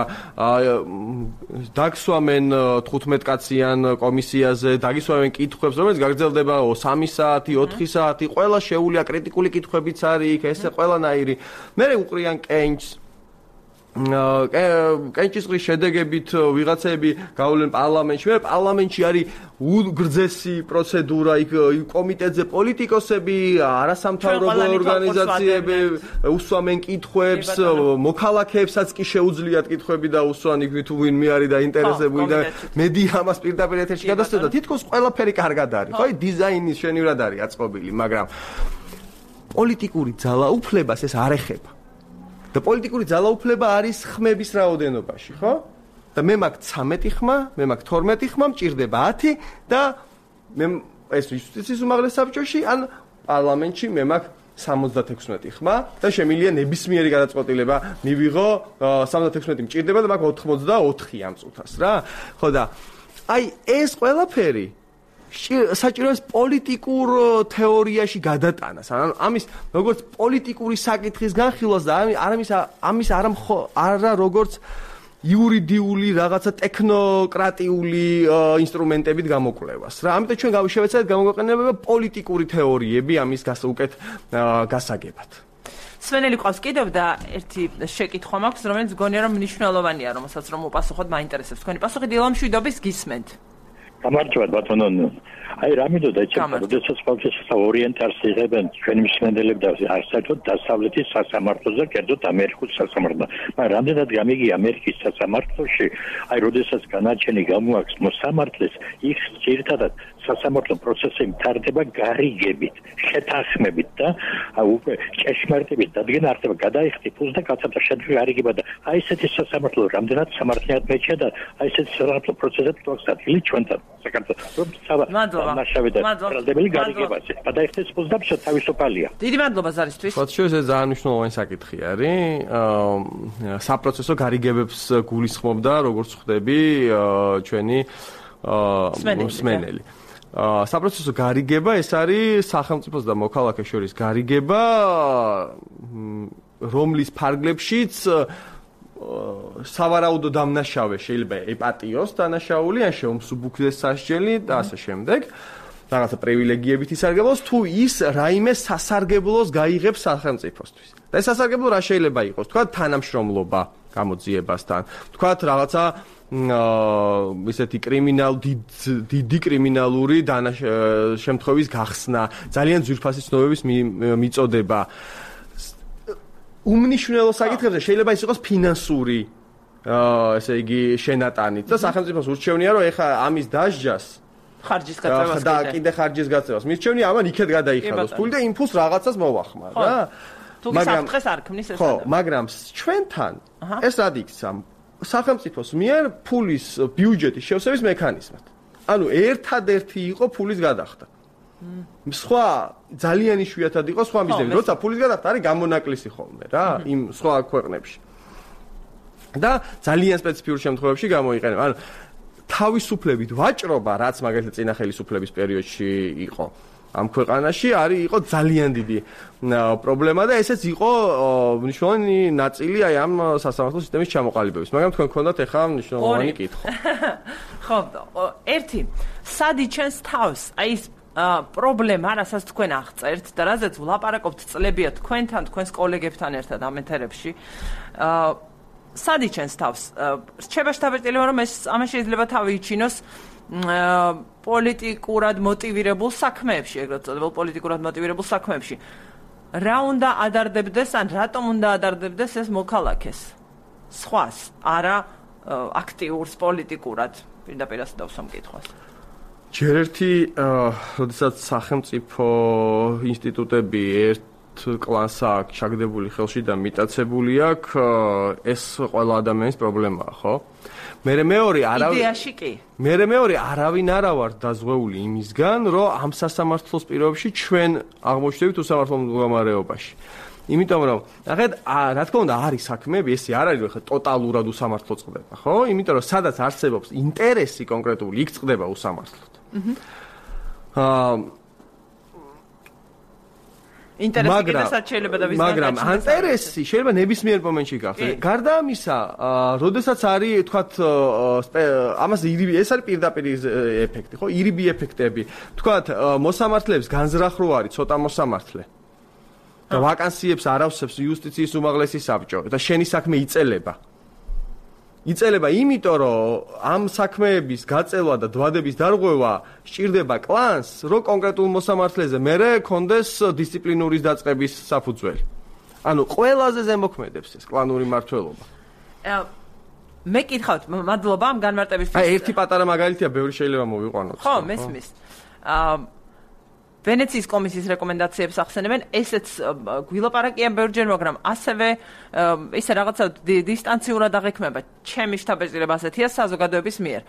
დაგსვამენ თხუთმეტკაციან კომისიაზე, დაგისვამენ კითხვებს, რომელიც გაგრძელდება სამი საათი, ოთხი საათი, ყველა შეუძლია კრიტიკული კითხვებიც არის იქ, ესე ყველანაირი. მერე უყრიან კენჭს კენჭისყრის შედეგებით ვიღაცები გავლენ პარლამენტში. მე პარლამენტში არის უგრძესი პროცედურა, იქ კომიტეტზე პოლიტიკოსები, არასამთავრობო ორგანიზაციები უსვამენ კითხვებს, მოქალაქეებსაც კი შეუძლიათ კითხვები და უსვან იქ თუ ვინმე არის დაინტერესებული და მედია ამას პირდაპირ ეთერში გადასცემს და თითქოს ყველაფერი კარგად არის. ხო, დიზაინის შენივრად არის აწყობილი, მაგრამ პოლიტიკური ძალაუფლებას ეს არ ეხება. და პოლიტიკური ძალაუფლება არის ხმების რაოდენობაში, ხო? და მე მაქვს ცამეტი ხმა, მე მაქვს თორმეტი ხმა, მჭირდება ათი და მე ეს იუსტიციის უმაღლეს საბჭოში ან პარლამენტში მე მაქვს სამოცდათექვსმეტი ხმა და შემიძლია ნებისმიერი გადაწყვეტილება მივიღო, სამოცდათექვსმეტი მჭირდება და მაქვს ოთხმოცდაოთხი ამ წუთას, რა? ხო და აი ეს ყველაფერი საჭიროებს პოლიტიკურ თეორიაში გადატანას. ანუ ამის როგორც პოლიტიკური საკითხის განხილვას და ამის ამის არა არა როგორც იურიდიული რაღაცა ტექნოკრატიული ინსტრუმენტებით გამოკვლევას. რა, ამიტომ ჩვენ გავშევეცადეთ გამოგვეყენება პოლიტიკური თეორიები ამის უკეთ გასაგებად. სვენელი ყავს კიდევ და ერთი შეკითხვა მაქვს, რომელიც გონია რომ მნიშვნელოვანია, რომელსაც რომ უპასუხოთ, მაინტერესებს თქვენი პასუხი. დილამშვიდობის გისმენთ. გამარჯობათ ბატონო. აი რამიდოდა ეცემა, როდესაც პროცესის ორიენტაციას იღებენ ჩვენი მსმენელები და საერთოდ დასავლეთის სასამართლოზე, კერძოდ ამერიკის სასამართლო. მაგრამ რამდენად გამიგია ამერიკის სასამართლოში, აი როდესაც განაჩენი გამოაქვს მოსამართლეს, იქ ძირითადად სასამართლო პროცესი მთავრდება გარიგებით, შეთანხმებით და უკვე ჭეშმარიტებით დადგენა არხდება გადაიხდით ფულს და კაცებთან შედგება გარიგება და აი ესეთი სასამართლო რამდენად სამართლიანად მეჩია და აი ესეთი სასამართლო პროცესები თვალს ადგილი ჩვენთან საქართველოს ნაშავე და პრალდებელი გარიგებაზე. გადაიხდეთ ფულს და თავისუფალია. დიდი მადლობა ზარისთვის. თქვათ შეიძლება ძალიან მნიშვნელოვანი საკითხი არის. საპროცესო გარიგებებს გულისხმობდა როგორც ხვდები ჩვენი მსმენელი. საპროცესო გარიგება ეს არის სახელმწიფოს და მოქალაქეს შორის გარიგება, რომლის ფარგლებშიც სავარაუდო დამნაშავე შეიძლება ეპატიოს დანაშაული, ან შეუმსუბუქდეს სასჯელი და ასე შემდეგ. რაღაცა პრივილეგიებით ისარგებლოს, თუ ის რაიმე სასარგებლოს გაიღებს სახელმწიფოსთვის. და ეს სასარგებლო რა შეიძლება იყოს? თქვა თანამშრომლობა გამოძიებასთან, თქვა რაღაცა ისეთი კრიმინალ დიდი კრიმინალური შემთხვევის გახსნა, ძალიან ძვირფასი ცნობების მიწოდება. უმნიშვნელო საკითხებზე შეიძლება ის იყოს ფინანსური, ესე იგი, შენატანით და სახელმწიფოს ურჩევნია, რომ ეხა ამის დასჯას ხარჯის გაწევას და კიდე ხარჯის გაწევას მირჩევნია, ამან იქეთ გადაიხადოს ფული და იმ ფულს რაღაცას მოვახმარ, რა. თუ საფრთხეს არ ქმნის ეს. ხო, მაგრამ ჩვენთან ეს რად იქცა? სახელმწიფოს მიერ ფულის ბიუჯეტის შევსების მექანიზმად. ანუ ერთადერთი იყო ფულის გადახდა. სხვა ძალიან იშვიათად იყო სხვა მიზნები, როცა ფულის გადახდა არის გამონაკლისი ხოლმე რა, იმ სხვა ქვეყნებში. და ძალიან სპეციფიურ შემთხვევებში გამოიყენება. ანუ თავისუფლებით ვაჭრობა, რაც მაგალითად წინა ხელისუფლების პერიოდში იყო ამ ქვეყანაში, არის იყო ძალიან დიდი პრობლემა და ესეც იყო მნიშვნელოვანი ნაწილი აი ამ სასამართლო სისტემის ჩამოყალიბების. მაგრამ თქვენ გქონდათ ახლა მნიშვნელოვანი კითხვა. ხო, ერთი, სად იჩენს თავს? აი ეს პრობლემა, რასაც თქვენ აღწერთ და რაზეც ვლაპარაკობთ წლებია თქვენთან, თქვენს კოლეგებთან ერთად ამ ეთერებში. სად იჩენს თავს? რჩება შთაბეჭდილება, რომ ეს ამას შეიძლება თავი იჩინოს პოლიტიკურად მოტივირებულ საქმეებში, ეგრეთ წოდებულ პოლიტიკურად მოტივირებულ საქმეებში. რა უნდა ადარდებდეს, ან რატომ უნდა ადარდებდეს ეს მოქალაქეს? სხვას, არა აქტიურს პოლიტიკურად, პირდაპირ ასე დავსვამ კითხვას. ჯერ ერთი, როდესაც სახელმწიფო ინსტიტუტები ერთ კლანს აქვს ჩაგდებული ხელში და მიტაცებული აქვს, ეს ყველა ადამიანის პრობლემაა, ხო? მერე მეორე არავინ იდეაში კი. მერე მეორე არავინ არა ვარ დაზღვეული იმისგან, რომ ამ სასამართლოს პირობებში ჩვენ აღმოჩნდებით უსამართლო მდგომარეობაში. იმიტომ რომ ნახეთ, რა თქმა უნდა არის საქმეები, ესე არ არის ხა ტოტალურად უსამართლო წყდება, ხო? იმიტომ რომ სადაც არსებობს ინტერესი კონკრეტული, იქ წყდება უსამართლოდ. აა ინტერესი კიდესაც შეიძლება და ვისგან მაგრამ ინტერესი შეიძლება ნებისმიერ მომენტში გახდეს. გარდა ამისა, როდესაც არის თქვათ ამას ეს არის პირდაპირ ეფექტი, ხო? ირიბი ეფექტები. თქვათ მოსამართლეებს განზრახ რო არის ცოტა მოსამართლე. და ვაკანსიებს არავსებს იუსტიციის უმაღლესი საბჭო და შენი საქმე იწელება. იწელება იმიტომ, რომ ამ საქმეების გაწელვა და დვადების დარღვევა სჭირდება კლანს, რომ კონკრეტულ მოსამართლეზე მერე კონდეს დისციპლინურის დაწყების საფუძველი. ანუ ყველაზე ზემოქმედებს ეს კლანური მმართველობა. მე კითხავთ, მადლობა ამ განმარტებისთვის. აი, ერთი პატარა მაგალითია, ბევრი შეიძლება მოვიყვანოთ. ხო, მესმის. აა ვენეციის კომისიის რეკომენდაციებს ახსენებენ, ესეც გვილაპარაკიან ბევრჯერ, მაგრამ ასევე ისე რაღაცა დისტანციურად აღიქმება. ჩემი შთაბეჭდილება ასეთია საზოგადოების მიერ.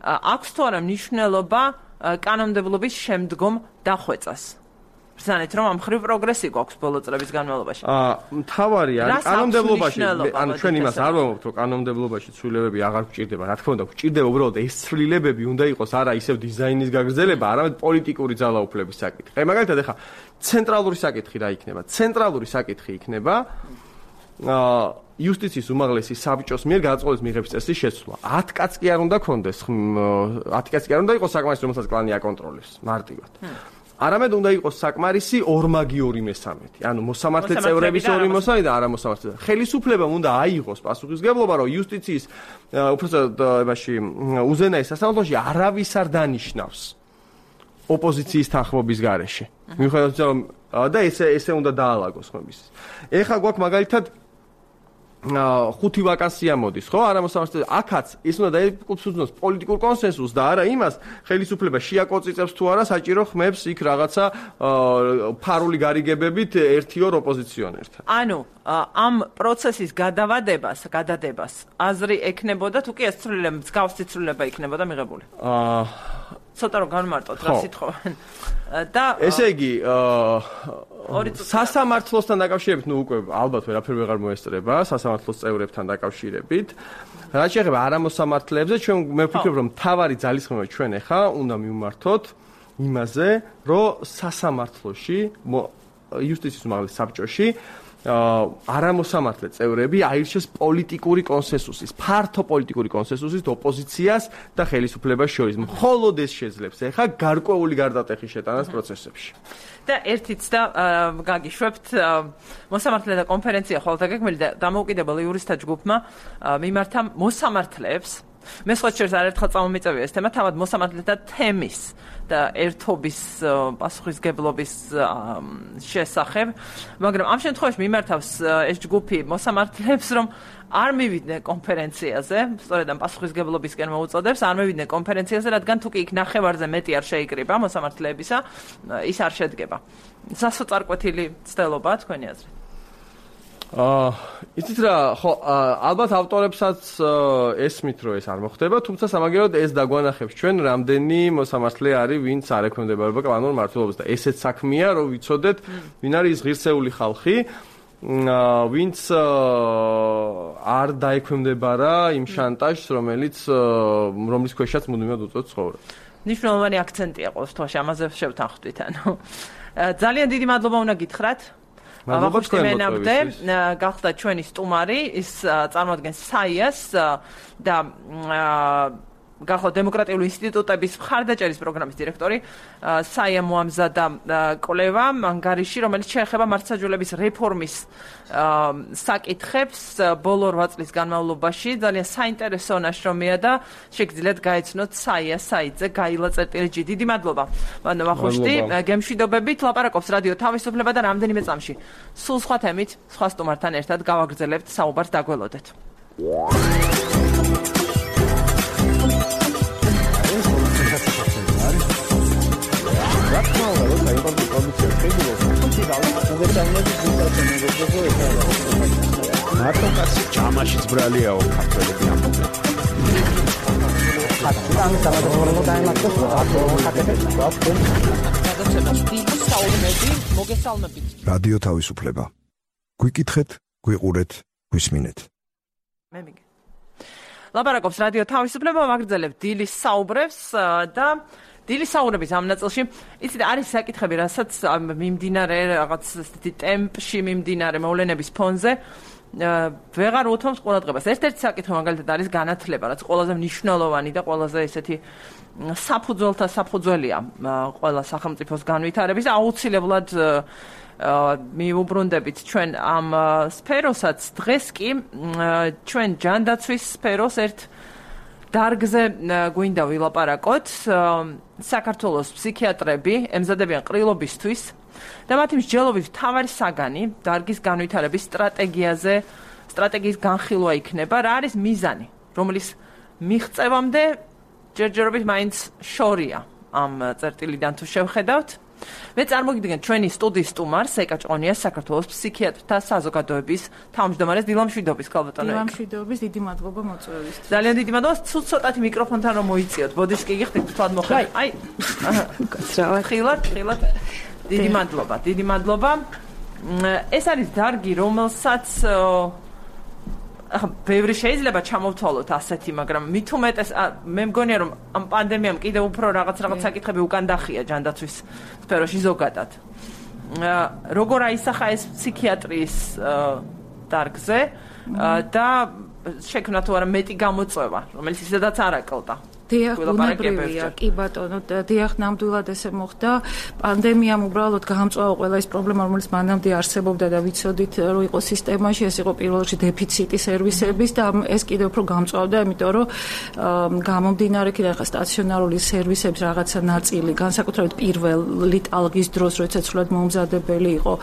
აქვს თუ არა მნიშვნელობა კანონმდებლობის შემდგომ დახვეწას? ბრძანეთ, რომ ამ ხრივ პროგრესი გვაქვს ბოლო წლების განმავლობაში. აა, მთავარი არის კანონმდებლობაში, ანუ ჩვენ იმას არ ვამბობთ, რომ კანონმდებლობაში ცვლილებები აღარ გვჭირდება. რა თქმა უნდა, გვჭირდება უბრალოდ ეს ცვლილებები უნდა იყოს არა ისევ დიზაინის გაგრძელება, არამედ პოლიტიკური ძალაუფლების საკითხი. აი, მაგალითად, ახლა ცენტრალური საკითხი რა იქნება? ცენტრალური საკითხი იქნება აა იუსტიციის უმაღლესი საბჭოს მიერ გადაწყვეტილების მიღების წესის შეცვლა. ათი კაც კი არ უნდა კონდეს, ათი კაც კი არ უნდა იყოს საკმარისი, რომელსაც კლანი აკონტროლებს მარტივად. არამედ უნდა იყოს საკმარისი ორმაგი ორი მესამედი. ანუ მოსამართლე წევრების ორი მოსამედი და არა მოსამართლე. ხელისუფლებამ უნდა აიღოს პასუხისგებლობა, რომ იუსტიციის უბრალოდ იმაში უზენაეს სასამართლოში არავის არ დანიშნავს ოპოზიციის თანხმობის გარეშე. მიუხედავად რომ და ესე ესე უნდა დაალაგოს ხმების. ეხლა გვაქვს მაგალითად ხუთი ვაკანსია მოდის, ხო? არა მოსამართლე. აქაც ის უნდა დაეკუთვნოს პოლიტიკურ კონსენსუსს და არა იმას, ხელისუფლება შეაკოწიწებს თუ არა საჭირო ხმებს იქ რაღაცა ფარული გარიგებებით ერთი ორ ოპოზიციონერთან. ანუ ამ პროცესის გადავადებას, გადადებას აზრი ექნებოდა თუ კი ეს ცვლილება, მსგავსი ცვლილება იქნებოდა მიღებული? აა ცოტა რომ განმარტოთ რა სიტყვენ. და ესე იგი, სასამართლოსთან დაკავშირებით, ნუ უკვე ალბათ ვერაფერ ვეღარ მოესწრება, სასამართლოს წევრებთან დაკავშირებით. რაც შეეხება არამოსამართლეებზე, ჩვენ მე ვფიქრობ, რომ მთავარი ძალისხმევა ჩვენ ახლა უნდა მივმართოთ იმაზე, რომ სასამართლოში, იუსტიციის უმაღლეს საბჭოში არამოსამართლე წევრები აირჩეს პოლიტიკური კონსენსუსის, ფართო პოლიტიკური კონსენსუსის ოპოზიციას და ხელისუფლებას შორის. მხოლოდ ეს შეძლებს ახლა გარკვეული გარდატეხის შეტანას პროცესებში. და ერთიც და გაგიშვებთ მოსამართლეთა კონფერენცია ხოლმე გეკმელი და დამოუკიდებელ იურისტთა ჯგუფმა მიმართა მოსამართლეებს. მე სხვა შორის არერთხელ წამომიწევია ეს თემა, თავად მოსამართლეთა თემის და ერთობის პასუხისგებლობის შესახებ, მაგრამ ამ შემთხვევაში მიმართავს ეს ჯგუფი მოსამართლეებს, რომ არ მივიდნენ კონფერენციაზე, სწორედ ამ პასუხისგებლობისკენ მოუწოდებს, არ მივიდნენ კონფერენციაზე, რადგან თუ კი იქ ნახევარზე მეტი არ შეიკრიბა მოსამართლეებისა, ის არ შედგება. სასოწარკვეთილი ცდელობაა თქვენი აზრით? აა იცით რა, ხო, ალბათ ავტორებსაც ესმით რომ ეს არ მოხდება, თუმცა სამაგეროდ ეს დაგვანახებს ჩვენ რამდენი მოსამართლე არის, ვინც არ ექვემდებარება კანონურ მმართველობას და ესეც საქმეა, რომ ვიცოდეთ, ვინ არის ის ღირსეული ხალხი, ვინც არ დაექვემდებარა იმ შანტაჟს, რომელიც რომლის ქვეშაც მუდმივად უწევთ ცხოვრება. ნიშნულოვანი აქცენტია ყოველ შემთხვევაში, ამაზე შევთანხმდით, ანუ ძალიან დიდი მადლობა უნდა გითხრათ. მადლობა თქვენამდე, გახდა ჩვენი სტუმარი, ის წარმოადგენს საიას და გახდა დემოკრატიული ინსტიტუტების მხარდაჭერის პროგრამის დირექტორი. საია მოამზადა კვლევა ანგარიში, რომელიც შეეხება მართლმსაჯულების რეფორმის საკითხებს ბოლო რვა წლის განმავლობაში. ძალიან საინტერესო ნაშრომია და შეგიძლიათ გაეცნოთ საია საიტზე გაილა წერტილი ჯი. დიდი მადლობა. მანო ვახუშტი, გემშვიდობებით, ლაპარაკობს რადიო თავისუფლება და რამდენიმე წამში სულ სხვა თემით, სხვა სტუმართან ერთად გავაგრძელებთ საუბარს, დაგველოდეთ. მარტო კაცი ჯამაშიც ბრალიაო ქართველები ამბობენ. ამის სამადლო დაიმართოს რადიო თავისუფლება. გვიკითხეთ, გვიყურეთ, გვისმინეთ. მე მიგე. ლაპარაკობს რადიო თავისუფლება, ვაგრძელებთ დილის საუბრებს და დილის საუბრების ამ ნაწილში, იცით, არის საკითხები, რასაც მიმდინარე რაღაც ესეთი ტემპში მიმდინარე მოვლენების ფონზე ვეღარ უთმობთ ყურადღებას. ერთ-ერთი საკითხი მაგალითად არის განათლება, რაც ყველაზე მნიშვნელოვანი და ყველაზე ესეთი საფუძველთა საფუძველია ყველა სახელმწიფოს განვითარების. აუცილებლად მიუბრუნდებით ჩვენ ამ სფეროსაც. დღეს კი ჩვენ ჯანდაცვის სფეროს ერთ დარგზე გვინდა ვილაპარაკოთ. საქართველოს ფსიქიატრები ემზადებიან ყრილობისთვის და მათი მსჯელობის მთავარი საგანი დარგის განვითარების სტრატეგიაზე, სტრატეგიის განხილვა იქნება. რა არის მიზანი, რომლის მიღწევამდე ჯერჯერობით მაინც შორია ამ წერტილიდან თუ შევხედავთ. მე წარმოგიდგენთ ჩვენი სტუდიის სტუმარს, ეკა ჭყონიას, საქართველოს ფსიქიატრთა საზოგადოების თავმჯდომარეს. დილამშვიდობის, ქალბატონო. დილამშვიდობის, დიდი მადლობა მოწვევისთვის. ძალიან დიდი მადლობა. ცუც ცოტათი მიკროფონთან რომ მოიწიოთ. ბოდიშ კი გიხდით, თქვათ მოხდა. აი. კაცრავად. ხილად, ხილად. დიდი მადლობა, დიდი მადლობა. ეს არის დარგი, რომელსაც ახლა ბევრი შეიძლება ჩამოვთვალოთ ასეთი, მაგრამ მით უმეტეს მე მგონია რომ ამ პანდემიამ კიდევ უფრო რაღაც რაღაც საკითხები უკან დახია ჯანდაცვის სფეროში ზოგადად. როგორ აისახა ეს ფსიქიატრიის დარგზე და შექმნა თუ არა მეტი გამოწვევა, რომელიც ისედაც არ აკლდა. დიახ, უნებრივია, კი ბატონო, დიახ, ნამდვილად ესე მოხდა. პანდემიამ უბრალოდ გაამწვავა ყველა ეს პრობლემა, რომელიც მანამდე არსებობდა და ვიცოდით, რომ იყო სისტემაში, ეს იყო პირველ რიგში დეფიციტი სერვისების და ეს კიდევ უფრო გამწვავდა, იმიტომ რომ გამომდინარე კიდე ახლა სტაციონარული სერვისების რაღაცა ნაწილი, განსაკუთრებით პირველი ტალღის დროს, როდესაც სულად მომზადებელი იყო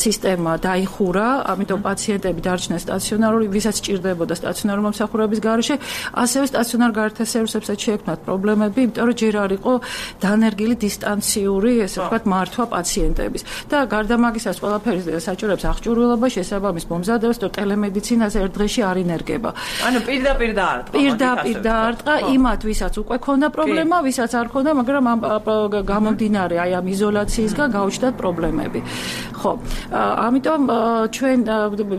სისტემა, დაიხურა, ამიტომ პაციენტები დარჩნენ სტაციონარული, ვისაც სჭირდებოდა სტაციონარული მომსახურების გარეშე, ასევე სტაციონარ გარეთ სერვისებს შეექმნათ პრობლემები, იმიტომ რომ ჯერ არ იყო დანერგილი დისტანციური, ესე ვთქვათ, მართვა პაციენტების. და გარდა მაგისაც ყველაფერი საჭიროებს აღჭურვილობა, შესაბამის მომზადებას, რომ ტელემედიცინაზე ერთ დღეში არ ინერგება. ანუ პირდაპირ დაარტყა. პირდაპირ დაარტყა იმათ, ვისაც უკვე ქონდა პრობლემა, ვისაც არ ქონდა, მაგრამ ამ გამომდინარე აი ამ იზოლაციისგან გაუჩნდათ პრობლემები. ხო, ამიტომ ჩვენ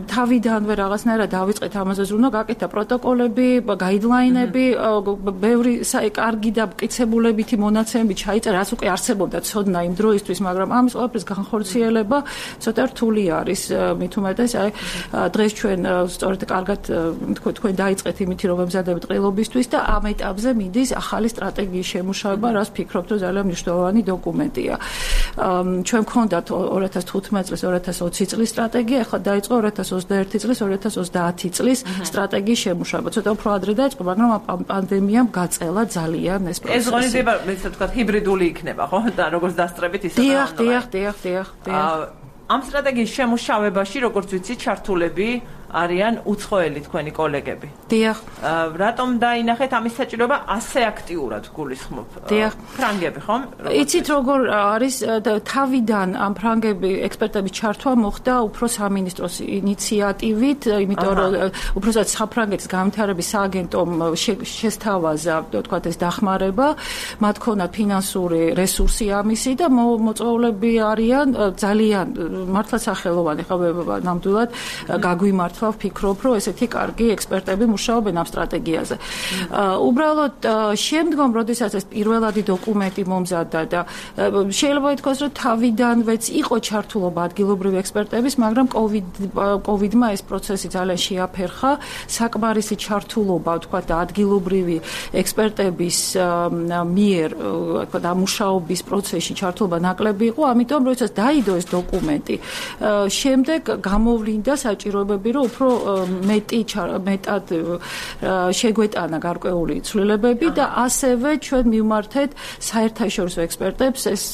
თავიდანვე რაღაცნაირად დავიწყეთ ამაზე ზრუნვა, გაკეთა პროტოკოლები, გაიდლაინები, ბევრი კარგი და მკიცებულებითი მონაცემები ჩაიწერა, რაც უკვე არსებობდა ცოდნა იმ დროისთვის, მაგრამ ამის ყველაფრის განხორციელება ცოტა რთული არის. მით უმეტეს, აი დღეს ჩვენ სწორედ კარგად თქვენ დაიწყეთ იმითი, რომ ემზადებით ყრილობისთვის და ამ ეტაპზე მიდის ახალი სტრატეგიის შემუშავება, რაც ფიქრობთ, რომ ძალიან მნიშვნელოვანი დოკუმენტია. ჩვენ გქონდათ ორი ათას თხუთმეტი წლის, ორი ათას ოცი წლის სტრატეგია, ახლა დაიწყო ორი ათას ოცდაერთი წლის, ორი ათას ოცდაათი წლის სტრატეგიის შემუშავება. ცოტა უფრო ადრე დაიწყო, მაგრამ პანდემიამ გაწელა ძალიან ეს პროცესი. ეს ღონისძიება, ესე ვთქვათ, ჰიბრიდული იქნება, ხო? და როგორც დასწრებით, ისე დიახ, დიახ, დიახ, დიახ, დიახ. ამ სტრატეგიის შემუშავებაში, როგორც ვიცი, ჩართულები არიან უცხოელი თქვენი კოლეგები. დიახ. რატომ დაინახეთ ამის საჭიროება ასე აქტიურად გულისხმობ? დიახ. ფრანგები, ხომ? იცით როგორ არის თავიდან ამ ფრანგები ექსპერტების ჩართვა მოხდა უფრო სამინისტროს ინიციატივით, იმიტომ რომ უბრალოდ საფრანგეთის განვითარების სააგენტომ შესთავაზა, თქვათ ეს დახმარება, მათ ქონათ ფინანსური რესურსი ამისი და მოწვეულები არიან ძალიან მართლა სახელოვანი, ხო, ნამდვილად გაგვიმართლა ვფიქრობ, რომ ესეთი კარგი ექსპერტები მუშაობენ ამ სტრატეგიაზე. უბრალოდ შემდგომ, როდესაც ეს პირველადი დოკუმენტი მომზადდა და შეიძლება ითქვას, რომ თავიდანვეც იყო ჩართულობა ადგილობრივი ექსპერტების, მაგრამ კოვიდმა ეს პროცესი ძალიან შეაფერხა, საკმარისი ჩართულობა, ვთქვათ, ადგილობრივი ექსპერტების მიერ, ვთქვათ, ამ მუშაობის პროცესში ჩართულობა ნაკლები იყო, ამიტომ როდესაც დაიდო ეს დოკუმენტი, შემდეგ გამოვლინდა საჭიროებები, რომ უფრო მეტი მეტად შეგვეტანა გარკვეული ცვლილებები და ასევე ჩვენ მივმართეთ საერთაშორისო ექსპერტებს. ეს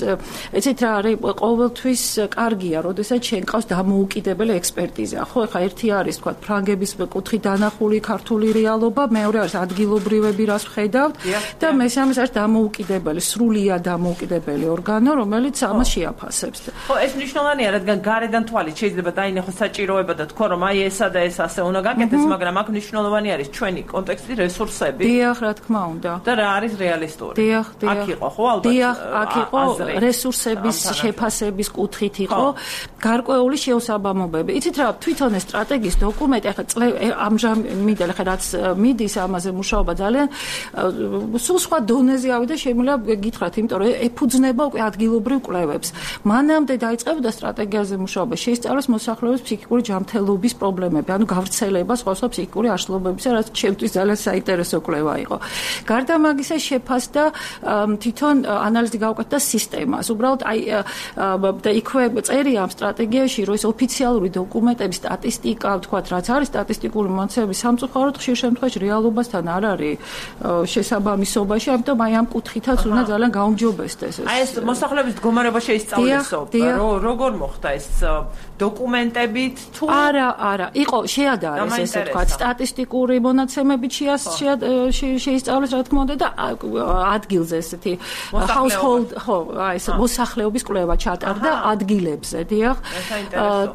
ეცით რა არის ყოველთვის კარგია, როდესაც შენ ყავს დამოუკიდებელი ექსპერტიზა. ხო, ეხლა ერთი არის თქვა ფრანგების კუთხით დანახული ქართული რეალობა, მეორე არის ადგილობრივები, რას ვხედავთ და მესამე არის დამოუკიდებელი, სრულიად დამოუკიდებელი ორგანო, რომელიც ამას შეაფასებს. ხო, ეს მნიშვნელოვანია, რადგან გარედან თვალით შეიძლება დაინახოს საჭიროება და თქვა რომ აი ესა და ეს ასე უნდა გაკეთდეს, მაგრამ აქ მნიშვნელოვანი არის ჩვენი კონტექსტი, რესურსები. დიახ, რა თქმა უნდა. და რა არის რეალისტური. დიახ, დიახ. აქ იყო ხო ალბათ. დიახ, აქ იყო რესურსების შეფასების კუთხით იყო გარკვეული შეუსაბამობები. იცით რა, თვითონ ეს სტრატეგიის დოკუმენტი ახლა ამჟამად ახლა რაც მიდის ამაზე მუშაობა ძალიან სულ სხვა დონეზე ავიდა, შემიძლია გითხრათ, იმიტომ რომ ეფუძნება უკვე ადგილობრივ კვლევებს. მანამდე დაიწყებოდა სტრატეგიაზე მუშაობა, შეისწავლეს მოსახლეობის ფსიქიკური ჯანმრთელობის პრობლემები, ანუ გავრცელება სხვა სხვა ფსიქიკური აშლობებისა, რაც ჩემთვის ძალიან საინტერესო კვლევა იყო. გარდა მაგისა შეფასდა თვითონ ანალიზი გავუკეთდა სისტემას. უბრალოდ აი და იქვე წერია ამ სტრატეგიაში, რომ ეს ოფიციალური დოკუმენტების სტატისტიკა, ვთქვათ, რაც არის სტატისტიკური მონაცემები სამწუხაროდ ხშირ შემთხვევაში რეალობასთან არ არის შესაბამისობაში, ამიტომ აი ამ კუთხითაც უნდა ძალიან გაუმჯობესდეს ეს. აი ეს მოსახლეობის მდგომარეობა შეისწავლესო, როგორ მოხდა ეს დოკუმენტებით თუ არა, არა, იყო შეადარეს ესე ვთქვათ, სტატისტიკური მონაცემებით შეისწავლეს, რა თქმა უნდა და ადგილზე ესეთი household, ხო, აი ეს მოსახლეობის კვლევა ჩატარდა ადგილებზე, დიახ.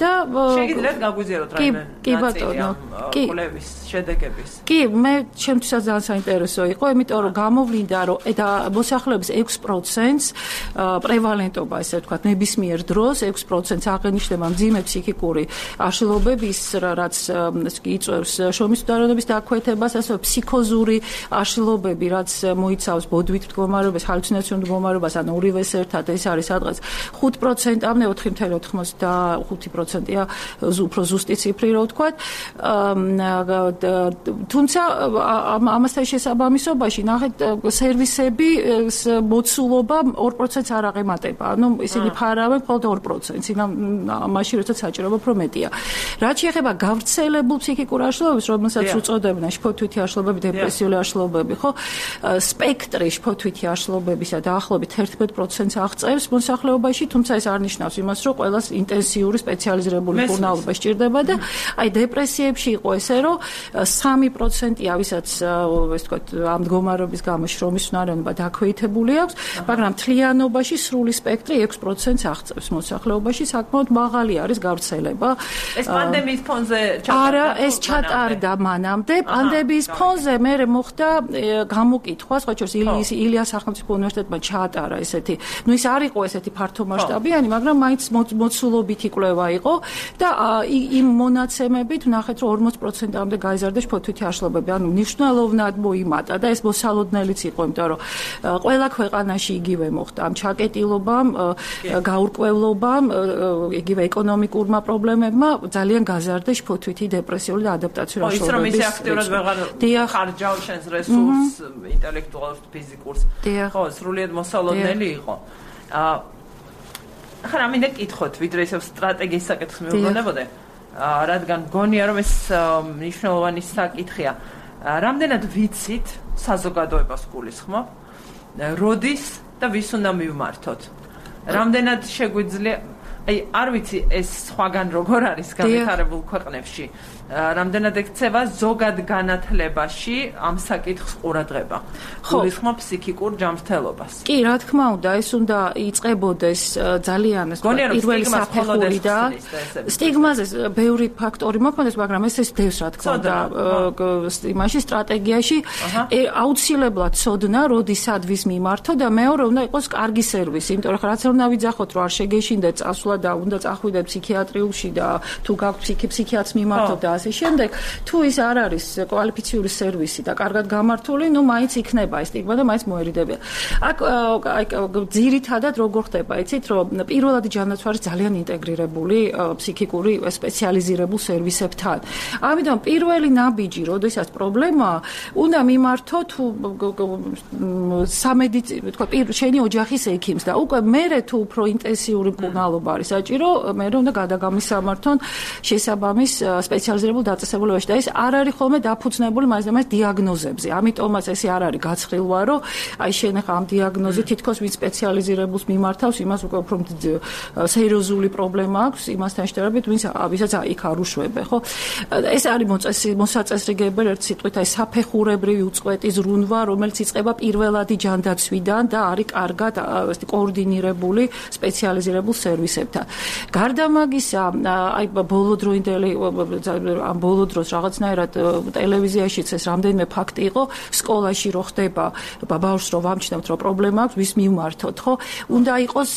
და შეგიძლიათ გაგვიზიაროთ რაიმე ნაწილი კვლევის შედეგების. კი, მე ჩემთვისაც ძალიან საინტერესო იყო, იმიტომ რომ გამოვლინდა, რომ და მოსახლეობის ექვს პროცენტს პრევალენტობა, ესე ვთქვათ, ნებისმიერ დროს ექვს პროცენტს აღენიშნება მძიმე ფსიქიკური აშლილობების, რაც იწვევს შრომის უდაროდობის დაქვეთებას, ასევე ფსიქოზური აშლილობები, რაც მოიცავს ბოდვით მდგომარეობას, ჰალუცინაციურ მდგომარეობას, ან ორივეს ერთად, ეს არის სადღაც ხუთ პროცენტამდე, ოთხი წუთი ოცდახუთი პროცენტია უფრო ზუსტი ციფრი, რო ვთქვათ. თუმცა ამასთან შესაბამისობაში ნახეთ სერვისები მოცულობა ორ პროცენტს არ აღემატება. ანუ ისინი ფარავენ მხოლოდ ორ პროცენტს, მაშინ როცა საჭიროება უფრო მეტია. რაც შეეხება გავრცელებულ ფსიქიკურ აშლილობებს, რომელსაც უწოდებენ შფოთვითი აშლილობები, დეპრესიული აშლილობები, ხო? სპექტრი შფოთვითი აშლილობებისა დაახლოებით ერთმეტ პროცენტს აღწევს მოსახლეობაში, თუმცა ეს არ ნიშნავს იმას, რომ ყველას ინტენსიური სპეციალიზირებული მკურნალობა სჭირდება და აი დეპრესიებში იყო ესე, რომ სამი პროცენტია, ვისაც ეს თქვა ამ მდგომარეობის გამო შრომის უნარიანობა დაქვეითებული აქვს, მაგრამ მთლიანობაში სრული სპექტრი ექვს პროცენტს აღწევს მოსახლეობაში, საკმაოდ მაღალი არის გავრცელება. ეს პანდემიის ფონზე ჩატარდა? არა, ეს ჩატარდა მანამდე. პანდემიის ფონზე მე მოხდა გამოკითხვა, სხვა შორის ილიას სახელმწიფო უნივერსიტეტმა ჩაატარა ესეთი, ну ის არ იყო ესეთი ფართომასშტაბიანი, მაგრამ მაინც მოცულობითი კვლევა იყო და იმ მონაცემებით ვნახეთ, რომ ორმოც პროცენტამდე გაიზარდა შფოთვითი აშლილობები, ანუ მნიშვნელოვნად მოიმატა და ეს მოსალოდნელიც იყო, იმიტომ რომ ყველა ქვეყანაში იგივე მოხდა ამ ჩაკეტილობამ, გაურკვევლობამ, იგივე ეკონომიკურმა პრობლემებმა ძალიან გაზარდა შფოთვითი დეპრესიული და ადაპტაციური აშლილობების. ხო, ის რომ ისე აქტიურად ვეღარ ხარჯავ შენს რესურსს, ინტელექტუალურ, ფიზიკურს. ხო, სრულიად მოსალოდნელი იყო. ახლა რამინდა კითხოთ, ვიდრე ისევ სტრატეგიის საკითხს მივუბრუნებოდე, რადგან გონია რომ ეს მნიშვნელოვანი საკითხია. რამდენად ვიცით საზოგადოებას გულისხმობ, როდის და ვის უნდა მივმართოთ? რამდენად შეგვიძლია აი არ ვიცი ეს სხვაგან როგორ არის განვითარებულ ქვეყნებში. რამდენად ექცევა ზოგად განათლებაში ამ საკითხს ყურადღება. გულისხმობ ფსიქიკურ ჯანმრთელობას. კი, რა თქმა უნდა, ეს უნდა იწყებოდეს ძალიან პირველი საფეხური და სტიგმაზე ბევრი ფაქტორი მოქმედებს, მაგრამ ეს ეს დევს რა თქმა უნდა იმაში სტრატეგიაში აუცილებლად ცოდნა, როდის სადვის მიმართო და მეორე უნდა იყოს კარგი სერვისი, იმიტომ რომ რაც არ უნდა ვიძახოთ, რომ არ შეგეშინდეთ წასვლა და უნდა წახვიდეთ ფსიქიატრიულში და თუ გაქვთ ფსიქიატრს მიმართოთ და ასე შემდეგ, თუ ის არ არის კვალიფიციური სერვისი და კარგად გამართული, ნუ მაინც იქნება ეს სტიგმა და მაინც მოერიდებია. აქ აი ძირითადად როგორ ხდება, იცით, რომ პირველადი ჯანდაცვა არის ძალიან ინტეგრირებული ფსიქიკური სპეციალიზირებულ სერვისებთან. ამიტომ პირველი ნაბიჯი, როდესაც პრობლემაა, უნდა მიმართო თუ სამედიცინო, თქვა, შენი ოჯახის ექიმს და უკვე მერე თუ უფრო ინტენსიური მკურნალობა არის საჭირო, მერე უნდა გადაგამისამართონ შესაბამის სპეციალიზირებულ დაწესებულებაში და ეს არ არის ხოლმე დაფუძნებული მაინც და მაინც დიაგნოზებზე. ამიტომაც ესე არ არის გაცხრილვა, რომ აი შენ ახლა ამ დიაგნოზით თითქოს ვინც სპეციალიზირებულს მიმართავს, იმას უკვე უფრო სერიოზული პრობლემა აქვს, იმასთან შედარებით, ვინც ვისაც იქ არ უშვებე, ხო? ეს არის მოსაწესრიგებელი ერთ სიტყვით აი საფეხურებრივი უწყვეტი ზრუნვა, რომელიც იწყება პირველადი ჯანდაცვიდან და არის კარგად კოორდინირებული სპეციალიზირებულ სერვისებთან. გარდა მაგისა, აი ბოლოდროინდელი ამ ბოლო დროს რაღაცნაირად ტელევიზიაშიც ეს რამდენიმე ფაქტი იყო, სკოლაში რო ხდება ბავშვს რო ვამჩნევთ, რომ პრობლემა აქვს, ვის მიმართოთ, ხო? უნდა იყოს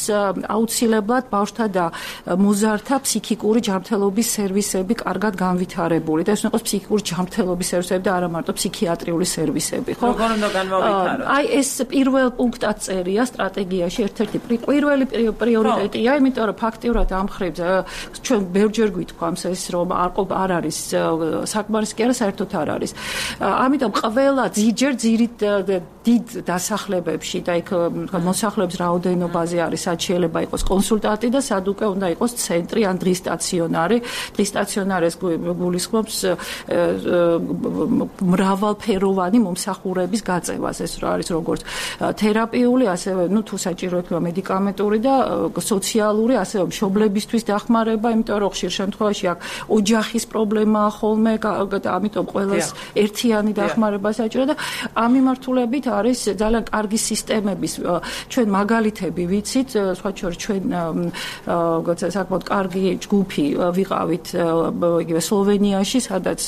აუცილებლად ბავშვთა და მოზარდთა ფსიქიკური ჯანმრთელობის სერვისები კარგად განვითარებული და ეს უნდა იყოს ფსიქიკური ჯანმრთელობის სერვისები და არა მარტო ფსიქიატრიული სერვისები, ხო? როგორ უნდა განმოვვითაროთ? აი ეს პირველ პუნქტად წერია სტრატეგიაში ერთ-ერთი პირველი პრიორიტეტია, იმიტომ რომ ფაქტიურად ამ მხრივ ჩვენ ბევრჯერ გვითქვამს ეს რომ არ არის საკმარისი კი არა საერთოდ არ არის. ამიტომ ყველა ძიჯერ ძირით დიდ დასახლებებში და იქ მოსახლეობის რაოდენობაზე არის სად შეიძლება იყოს კონსულტანტი და სად უკვე უნდა იყოს ცენტრი ან დღის სტაციონარი. დღის სტაციონარი ეს გულისხმობს მრავალფეროვანი მომსახურების გაწევას. ეს არის როგორც თერაპიული, ასევე ნუ თუ საჭირო იქნება მედიკამენტური და სოციალური, ასევე მშობლებისთვის დახმარება, იმიტომ რომ ხშირ შემთხვევაში აქ ოჯახის პრობლემაა ხოლმე და ამიტომ ყველას ერთიანი დახმარება საჭირო და ამ მიმართულებით არის ძალიან კარგი სისტემების ჩვენ მაგალითები ვიცით, სხვა შორის ჩვენ საკმაოდ კარგი ჯგუფი ვიყავით იგივე სლოვენიაში, სადაც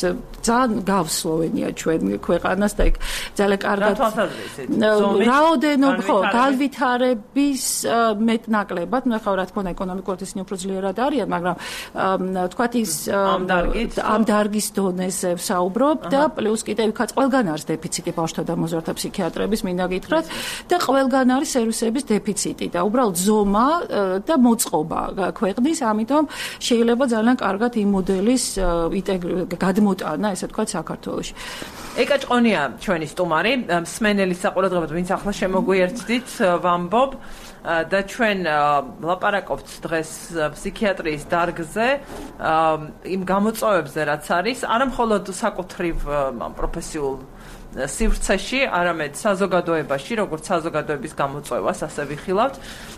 ძალიან გავს სლოვენია ჩვენ ქვეყანას და იქ ძალიან კარგად რაოდენობა ხო განვითარების მეტნაკლებად, ნუ ახლა რა თქმა უნდა ეკონომიკურად ისინი უფრო ძლიერად არიან, მაგრამ თქვათ ის ამ დარგის დონეზე ვსაუბრობ და პლუს კიდევ იქაც ყველგან არის დეფიციტი ბავშვთა და მოზარდთა ფსიქიატრების მინდა გითხრათ და ყველგან არის სერვისების დეფიციტი და უბრალოდ ზომა და მოწყობა ქვეყნის, ამიტომ შეიძლება ძალიან კარგად იმ მოდელის გადმოტანა, ესე ვთქვათ, საქართველოში. ეკა ჭყონია ჩვენი სტუმარი, მსმენელის საყურადღებოდ, ვინც ახლა შემოგვიერთდით, ვამბობ და ჩვენ ლაპარაკობთ დღეს ფსიქიატრიის დარგზე, იმ გამოწვევებზე, რაც არის, არა მხოლოდ საკუთრივ პროფესიულ სივრცეში, არამედ საზოგადოებაში, როგორც საზოგადოების გამოწვევას, ასე ვიხილავთ.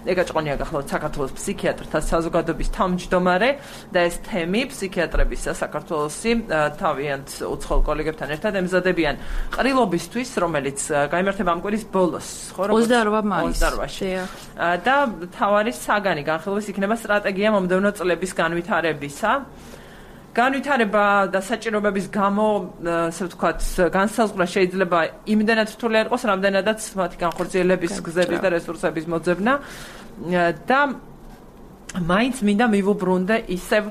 ეკა ჭყონია გახლავთ საქართველოს ფსიქიატრთა საზოგადოების თავმჯდომარე და ეს თემი ფსიქიატრების საქართველოსი თავიანთ უცხოელ კოლეგებთან ერთად ემზადებიან ყრილობისთვის, რომელიც გაიმართება ამ კვირის ბოლოს, ხო, როგორც ოცდაორვა მაისს. და თავარი საგანი განხილვის იქნება სტრატეგია მომდევნო წლების განვითარებისა. განვითარება და საჭიროებების გამო, ასე ვთქვათ, განსაზღვრა შეიძლება იმდენად რთული არ იყოს, რამდენადაც მათი განხორციელების გზების და რესურსების მოძებნა და მაინც მინდა მივუბრუნდე ისევ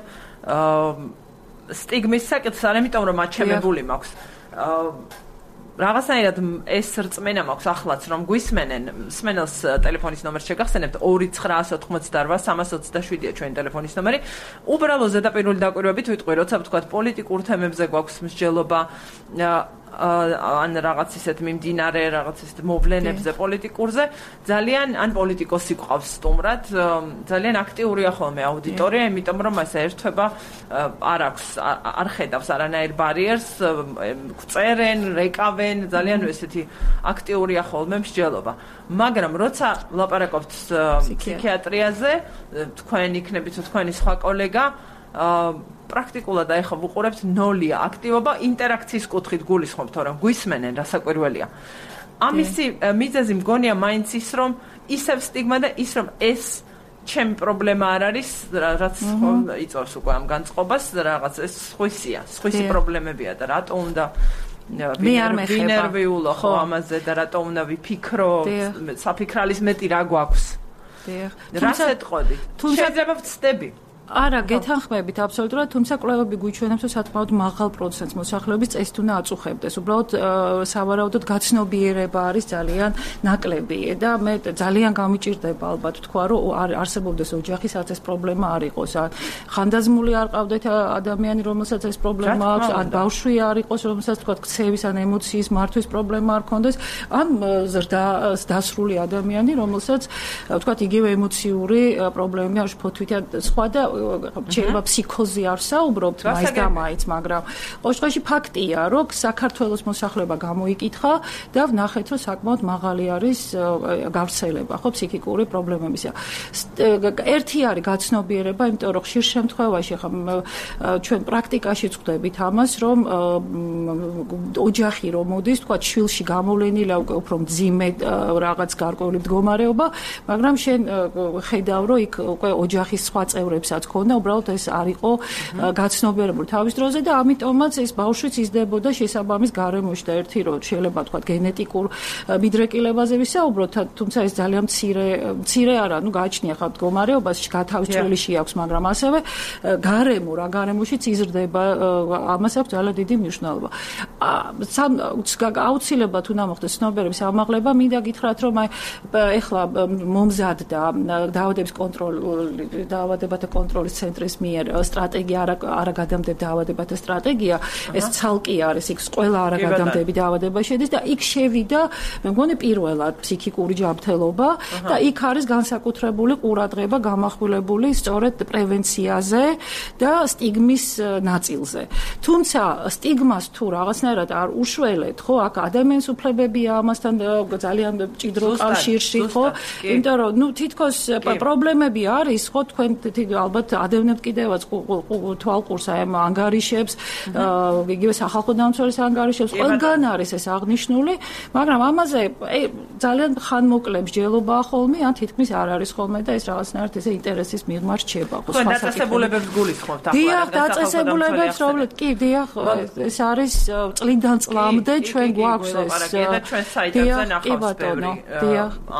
სტიგმის საკითხს, ამიტომ რომ აჩემებული მაქვს. რაღაცნაირად ეს რწმენა მაქვს ახლაც, რომ გვისმენენ, მსმენელს ტელეფონის ნომერს შეგახსენებთ ორი ცხრაასი ოცდაოთხმოცდაორვა სამას ოცდაშვიდია ჩვენი ტელეფონის ნომერი. უბრალოდ ზედაპირული დაკვირვებით ვიტყვი, როცა ვთქვათ პოლიტიკურ თემებზე გვაქვს მსჯელობა, ან რაღაც ისეთ მიმდინარე რაღაც ისეთ მოვლენებზე პოლიტიკურზე ძალიან ან პოლიტიკოსი ყავს სტუმრად ძალიან აქტიურია ხოლმე აუდიტორია იმიტომ რომ ეს ერთვება არ აქვს არ ხედავს არანაირ ბარიერს წერენ რეკავენ ძალიან ესეთი აქტიურია ხოლმე მსჯელობა მაგრამ როცა ვლაპარაკობთ ფსიქიატრიაზე თქვენ იქნებით თქვენი სხვა კოლეგა პრაქტიკულად აიხო ვუყურებთ ნოლია აქტივობა ინტერაქციის კუთხით გულისხმობთ რომ გვისმენენ რასაკვირველია ამისი მიზეზი მგონია მაინც ის რომ ისევ სტიგმა და ის რომ ეს ჩემი პრობლემა არ არის რაც იწვევს უკვე ამ განწყობას რაღაც ეს სხვისია სხვისი პრობლემებია და რატო უნდა მე არ მეხება ვინერვიულო ხო ამაზე და რატო უნდა ვიფიქრო საფიქრალის მეტი რა გვაქვს რას ეთყოდი შეიძლება ვწდები არა, გეთანხმებით აბსოლუტურად, თუმცა კვლევები გვიჩვენებს, რომ საკმაოდ მაღალ პროცენტს მოსახლეობის წესით უნდა აწუხებდეს. უბრალოდ სავარაუდოდ გაცნობიერება არის ძალიან ნაკლები და მე ძალიან გამიჭირდება ალბათ თქვა, რომ არსებობდეს ოჯახი, სადაც ეს პრობლემა არ იყოს. ან ხანდაზმული არ ყავდეთ ადამიანი, რომელსაც ეს პრობლემა აქვს, ან ბავშვი არ იყოს, რომელსაც თქვა ქცევის ან ემოციის მართვის პრობლემა არ ქონდეს, ან ზრდა დასრული ადამიანი, რომელსაც თქვა იგივე ემოციური პრობლემები აქვს, ფოთვითი ან სხვა და შეიძლება ფსიქოზი არ საუბრობთ მაინც და მაინც, მაგრამ ყოველ შემთხვევაში ფაქტია, რომ საქართველოს მოსახლეობა გამოიკითხა და ვნახეთ, რომ საკმაოდ მაღალი არის გავრცელება, ხო, ფსიქიკური პრობლემების. ერთი არის გაცნობიერება, იმიტომ რომ ხშირ შემთხვევაში ხა ჩვენ პრაქტიკაშიც ხვდებით ამას, რომ ოჯახი რომ მოდის, თქვა შვილში გამოვლენილა უკვე უფრო მძიმე რაღაც გარკვეული მდგომარეობა, მაგრამ შენ ხედავ, რომ იქ უკვე ოჯახის სხვა წევრებსაც ქონდა, უბრალოდ ეს არ იყო გაცნობიერებული თავის დროზე და ამიტომაც ეს ბავშვიც იზრდებოდა შესაბამის გარემოში და ერთი რომ შეიძლება თქვა გენეტიკურ მიდრეკილებაზე ვისაუბროთ, თუმცა ეს ძალიან მცირე მცირე არა, ну გააჩნია ხა მდგომარეობას, გათავისუფლებული შეაქვს, მაგრამ ასევე გარემო რა გარემოშიც იზრდება, ამას აქვს ძალიან დიდი მნიშვნელობა. აუცილებლად უნდა მოხდეს ცნობიერების ამაღლება, მინდა გითხრათ, რომ აი ეხლა მომზადდა დაავადების კონტროლი დაავადებათა კონტროლის ცენტრის მიერ სტრატეგია არა გადამდები დაავადებათა სტრატეგია, ეს ცალკე არის, იქ ყველა არა გადამდები დაავადება შედის და იქ შევიდა, მე მგონი პირველად ფსიქიკური ჯანმრთელობა და იქ არის განსაკუთრებული ყურადღება გამახვილებული სწორედ პრევენციაზე და სტიგმის ნაწილზე. თუმცა სტიგმას თუ რაღაცნაირად არ უშველეთ, ხო, აქ ადამიანის უფლებებია ამასთან ძალიან მჭიდრო კავშირში, ხო? იმიტომ რომ ნუ თითქოს პრობლემები არის, ხო, თქვენ ალბათ ადევნებთ კიდევაც თვალყურს აი ამ ანგარიშებს, იგივე სახალხო დამცველის ანგარიშებს, ყველგან არის ეს აღნიშნული, მაგრამ ამაზე ძალიან ხანმოკლე მსჯელობაა ხოლმე, ან თითქმის არ არის ხოლმე და ეს რაღაცნაირად ესე ინტერესის მიღმა რჩება. ხო, დაწესებულებებს გულისხმობთ ახლა. დიახ, დაწესებულებებს რომლებიც კი, დიახ, ეს არის წლიდან წლამდე ჩვენ გვაქვს ეს. ჩვენ საიტებზე ნახავს ბევრი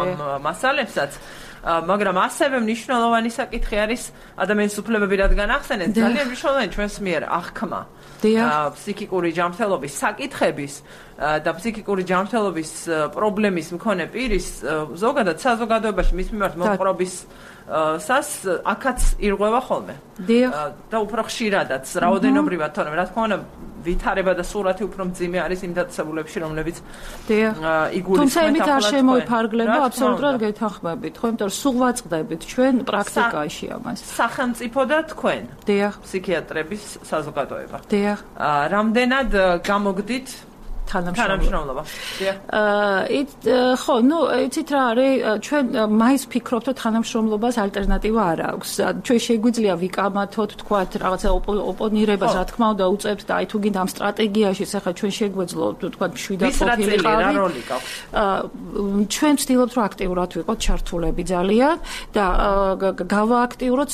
ამ მასალებსაც. მაგრამ ასევე მნიშვნელოვანი საკითხი არის ადამიანის უფლებები რადგან ახსენეთ, ძალიან მნიშვნელოვანი ჩვენს მიერ აღქმა ფსიქიკური ჯანმრთელობის საკითხების და ფსიქიკური ჯანმრთელობის პრობლემის მქონე პირის ზოგადად საზოგადოებაში მის მიმართ მოყრობის სას აქაც ირღვევა ხოლმე. და უფრო ხშირადაც, რაოდენობრივად, თორემ რა თქმა უნდა ვითარება და სურათი უფრო მძიმე არის იმ დაწესებულებებში, რომლებიც იგულისხმება. თუმცა იმით არ შემოიფარგლება, აბსოლუტურად გეთანხმებით, ხო, იმიტომ რომ სულ ვაწყდებით ჩვენ პრაქტიკაში ამას. სახელმწიფო და თქვენ. დიახ. ფსიქიატრების საზოგადოება. დიახ. რამდენად გამოგდით თანამშრომლობა. აა ით ხო, ნუ იცით რა არის, ჩვენ მაინც ვფიქრობთ, რომ თანამშრომლობას ალტერნატივა არ აქვს. ჩვენ შეგვიძლია ვიკამათოთ, თქვათ, რაღაცა ოპონირებას, რა თქმა უნდა, უწევთ და აი თუ გინდა ამ სტრატეგიაში, ახლა ჩვენ შეგვეძლო, თქვათ, მშვიდად ყოფილი ყავით. აა ჩვენ ვცდილობთ, რომ აქტიურად ვიყოთ ჩართულები ძალიან და გავააქტიუროთ,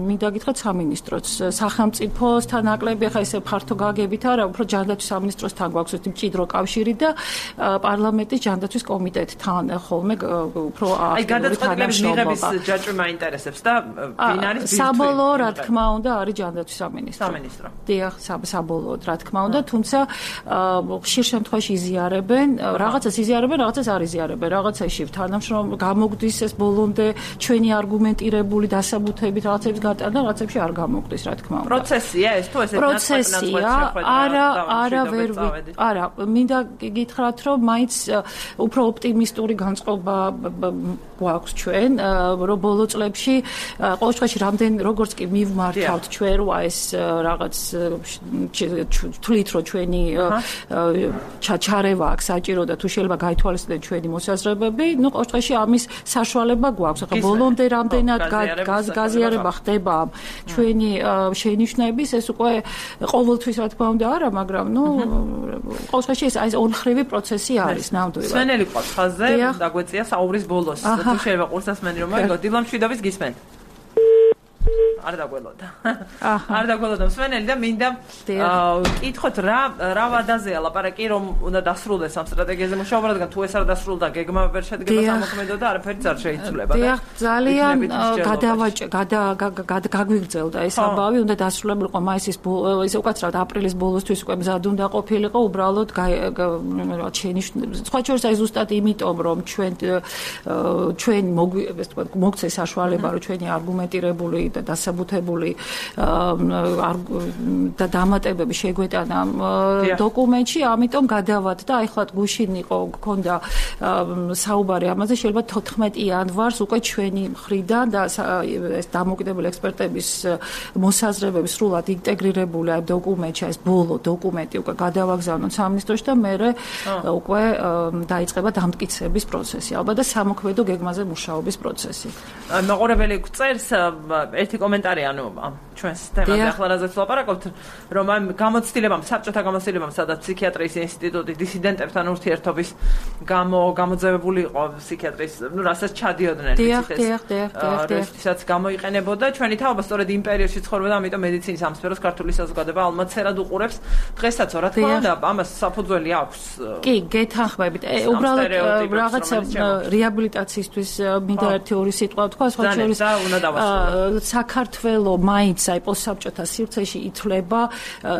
მინდა გითხრათ, სამინისტროც, სახელმწიფოსთან ნაკლები, ახლა ესე ფართო გაგებით არა, უფრო ჯანდაცვის სამინისტროსთან გვაქვს ეს მჭიდრო კავშირი და პარლამენტის ჯანდაცვის კომიტეტთან ხოლმე უფრო აი გადაწყვეტილების მიღების ჯაჭვი მაინტერესებს და ვინ არის ბირთვი? საბოლოო რა თქმა უნდა არის ჯანდაცვის სამინისტრო. სამინისტრო. დიახ, საბოლოოდ რა თქმა უნდა, თუმცა ხშირ შემთხვევაში იზიარებენ, რაღაცას იზიარებენ, რაღაცას არ იზიარებენ, რაღაცაში თანამშრომ გამოგდის ეს ბოლომდე ჩვენი არგუმენტირებული დასაბუთებით რაღაცების გატანა, რაღაცებში არ გამოგდის, რა თქმა უნდა. პროცესია ეს თუ ესე პროცესია, არა, არა ვერ არა, მინდა გითხრათ, რომ მაინც უფრო ოპტიმისტური განწყობა გვაქვს ჩვენ, რომ ბოლო წლებში ყოველ შემთხვევაში რამდენ როგორც კი მივმართავთ ჩვენ რა ეს რაღაც თვლით რომ ჩვენი ჩაჩარევა აქვს საჭირო და თუ შეიძლება გაითვალისწინოთ ჩვენი მოსაზრებები, ну ყოველ შემთხვევაში ამის საშუალება გვაქვს. ახლა ბოლომდე რამდენად გაზიარება ხდება ჩვენი შენიშვნების, ეს უკვე ყოველთვის რა თქმა უნდა არა, მაგრამ ну ყოველ შემთხვევაში ეს აი ორმხრივი პროცესი არის ნამდვილად. სვენელი ყავს ხაზზე, დაგვეწია საუბრის ბოლოს. თუ შეიძლება ყურსასმენი რომ მოიგო, დილამ შვიდობის გისმენთ. არ დაგველოდა. არ დაგველოდა სვენელი და მინდა კითხოთ რა რა ვადაზეა ლაპარაკი რომ უნდა დასრულდეს ამ სტრატეგიაზე მუშაობა, რადგან თუ ეს არ დასრულდა გეგმა ვერ შედგება სამოქმედო და არაფერიც არ შეიცვლება და ძალიან გადავაჭ გაგვიგრძელდა ეს ამბავი, უნდა დასრულებულიყო მაისის ისე უკაცრავად აპრილის ბოლოსთვის უკვე მზად უნდა ყოფილიყო, უბრალოდ რა შენიშნებს. სხვა შორის აი ზუსტად იმიტომ რომ ჩვენ ჩვენ მოგცეს საშუალება რომ ჩვენი არგუმენტირებული და დასაბუთებული და დამატებები შეგვეტანა დოკუმენტში, ამიტომ გადავად და აი ხლა გუშინ იყო გქონდა საუბარი ამაზე, შეიძლება თოთხმეტი იანვარს უკვე ჩვენი მხრიდან და ეს დამოუკიდებელი ექსპერტების მოსაზრებები სრულად ინტეგრირებული აი დოკუმენტში, ეს ბოლო დოკუმენტი უკვე გადავაგზავნოთ სამინისტროში და მე უკვე დაიწყება დამტკიცების პროცესი, ალბათ და სამოქმედო გეგმაზე მუშაობის პროცესი. მაყურებელი წერს ერთი კომენტარი ანუ ჩვენს თემაზე ახლა რაზეც ვლაპარაკობთ, რომ ამ გამოცდილებამ, საბჭოთა გამოცდილებამ, სადაც ფსიქიატრიის ინსტიტუტი დისიდენტებთან ურთიერთობის გამო გამოძევებული იყო ფსიქიატრის, ну, რასაც ჩადიოდნენ ისიც გამოიყენებოდა. ჩვენი თაობა სწორედ იმ პერიოდში ცხოვრობდა, ამიტომ მედიცინის ამ სფეროს ქართული საზოგადოება ალმაცერად უყურებს. დღესაც რა თქმა უნდა, ამას საფუძველი აქვს. კი, გეთანხმებით. უბრალოდ რაღაცა რეაბილიტაციისთვის მინდა ერთი ორი სიტყვა ვთქვა, სხვა შორის საქართველო მაინც აი პოსტსაბჭოთა სივრცეში ითვლება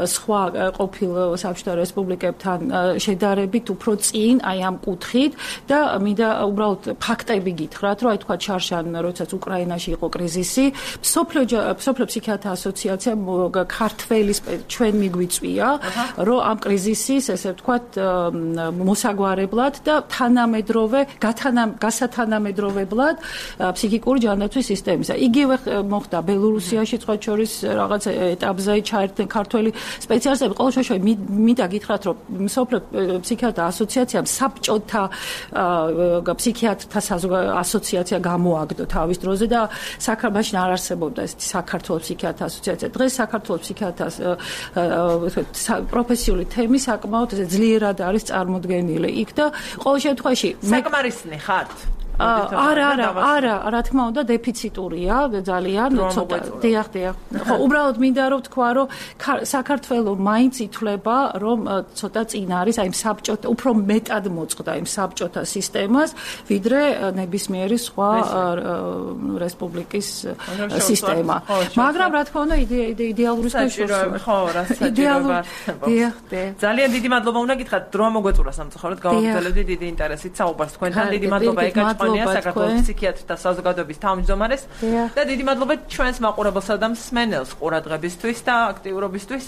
სხვა ყოფილ საბჭოთა რესპუბლიკებთან შედარებით უფრო წინ აი ამ კუთხით და მინდა უბრალოდ ფაქტები გითხრათ, რომ აი თქვა ჩარშან როდესაც უკრაინაში იყო კრიზისი, სოფლიო ფსიქიატრთა ასოციაციამ ქართველის ჩვენ მიგვიწვია, რომ ამ კრიზისის ესე ვთქვათ მოსაგვარებლად და თანამედროვე გასათანამედროვებლად ფსიქიკური ჯანდაცვის სისტემისა. იგივე მოხდა ბელორუსიაში, სხვა შორის რაღაც ეტაპზე ჩაერთნენ ქართველი სპეციალისტები. ყოველ შემთხვევაში მინდა გითხრათ, რომ სოფლიო ფსიქიატრთა ასოციაციამ საბჭოთა ფსიქიატრთა ასოციაცია გამოაგდო თავის დროზე და საქართველოში არ არსებობდა ეს საქართველოს ფსიქიატრთა ასოციაცია. დღეს საქართველოს ფსიქიატრთა პროფესიული თემი საკმაოდ ძლიერად არის წარმოდგენილი იქ და ყოველ შემთხვევაში საკმარისნი ხართ? არა, არა, არა, რა თქმა უნდა დეფიციტურია ძალიან ცოტა. დიახ, დიახ. ხო, უბრალოდ მინდა რომ თქვა, რომ საქართველოს მაინც ითვლება, რომ ცოტა წინ არის აი საბჭოთა, უფრო მეტად მოწყდა იმ საბჭოთა სისტემას, ვიდრე ნებისმიერი სხვა რესპუბლიკის სისტემა. მაგრამ რა თქმა უნდა იდეალურის შეშორება. ხო, რა საჭიროა. დიახ, დიახ. ძალიან დიდი მადლობა უნდა გითხრათ, დრო მოგეწურა სამწუხაროდ, გავაგრძელებდი დიდი ინტერესით საუბარს თქვენთან. დიდი მადლობა ეკაჭ საქართველოს ფსიქიატრთა საზოგადოების თავმჯდომარეს და დიდი მადლობა ჩვენს მაყურებელსა და მსმენელს ყურადღებისთვის და აქტიურობისთვის.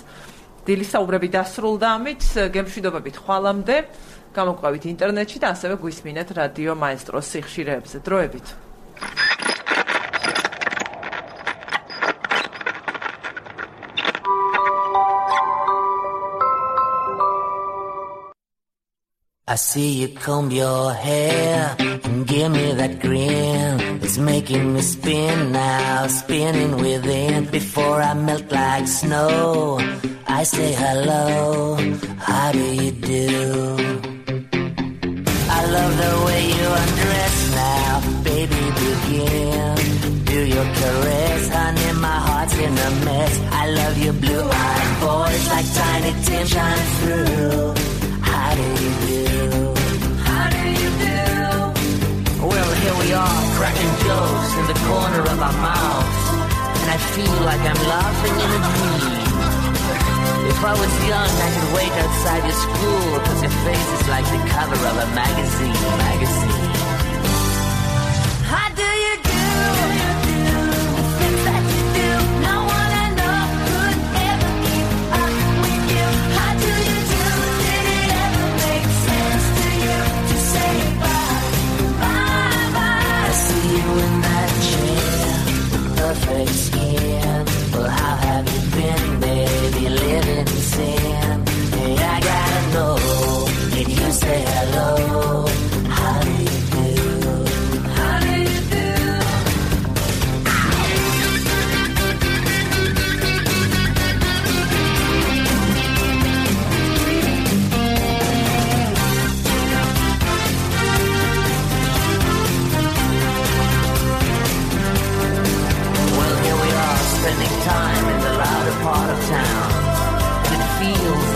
დილის საუბრები დასრულდა ამით, გემშვიდობებით ხვალამდე, გამოგვყავით ინტერნეტში და ასევე გვისმინეთ რადიო მაესტროს სიხშირეებზე. დროებით. I see you comb your hair and give me that grin. It's making me spin now, spinning within. Before I melt like snow, I say hello, how do you do? I love the way you undress now, baby begin. Do your caress, honey, my heart's in a mess. I love your blue-eyed voice like tiny Tim shining through. How do you do? How do you do? Well, here we are, cracking jokes in the corner of our mouths, and I feel like I'm laughing in a dream. If I was young, I could wait outside your school, cause your face is like the cover of a magazine, magazine. How do you do? The things that you do, no one I know could ever keep up with you. How do you do?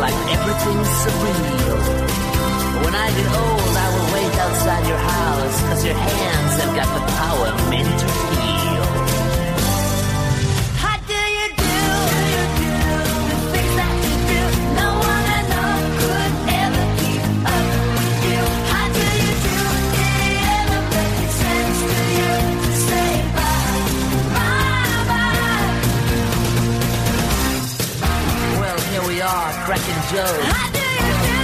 like everything's surreal. When I get old, I will wait outside your house, cause your hands have got the power meant to heal. How do you do? The things that you do, no one I know could ever keep up with you. How do you do? Did it ever make sense to you to say bye, bye, bye? Well, here we are, cracking jokes. How do you do?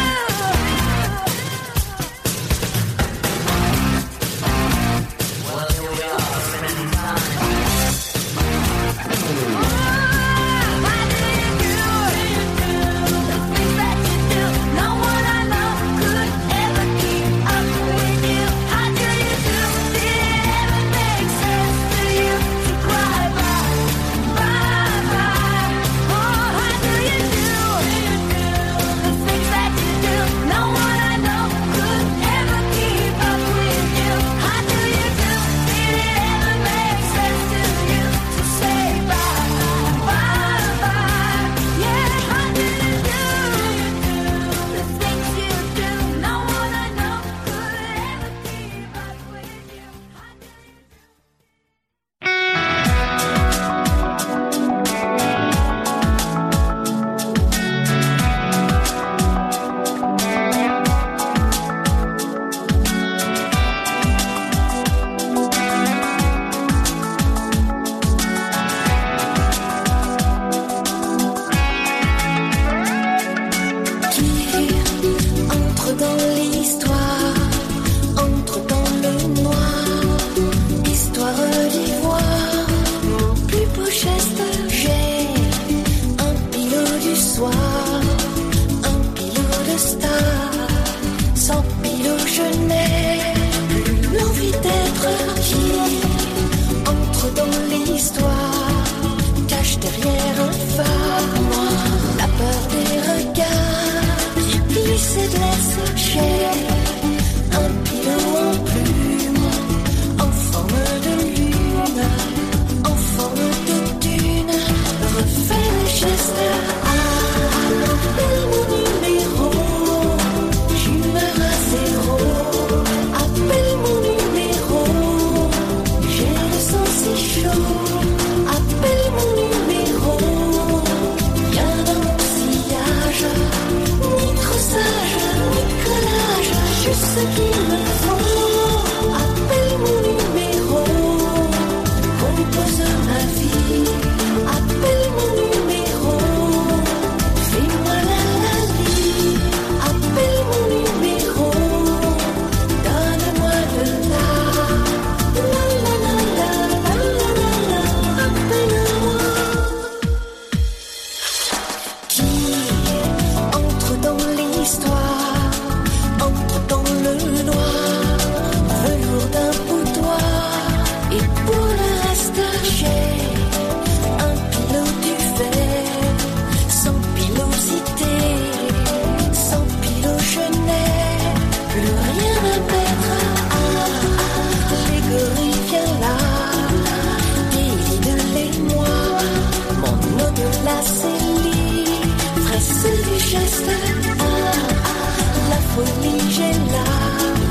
Folie, j'ai là,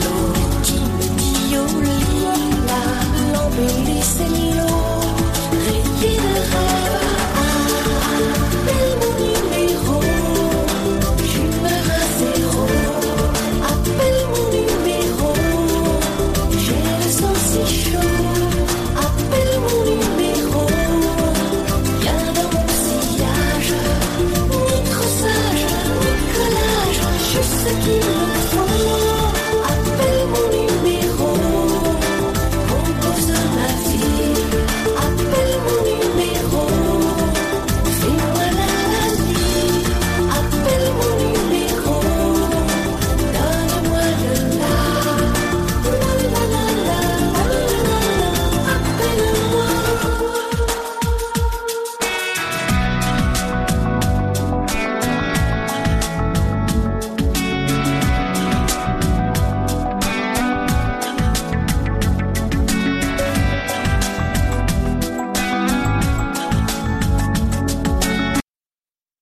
l'eau qui me dit au lit, là, l'embellie.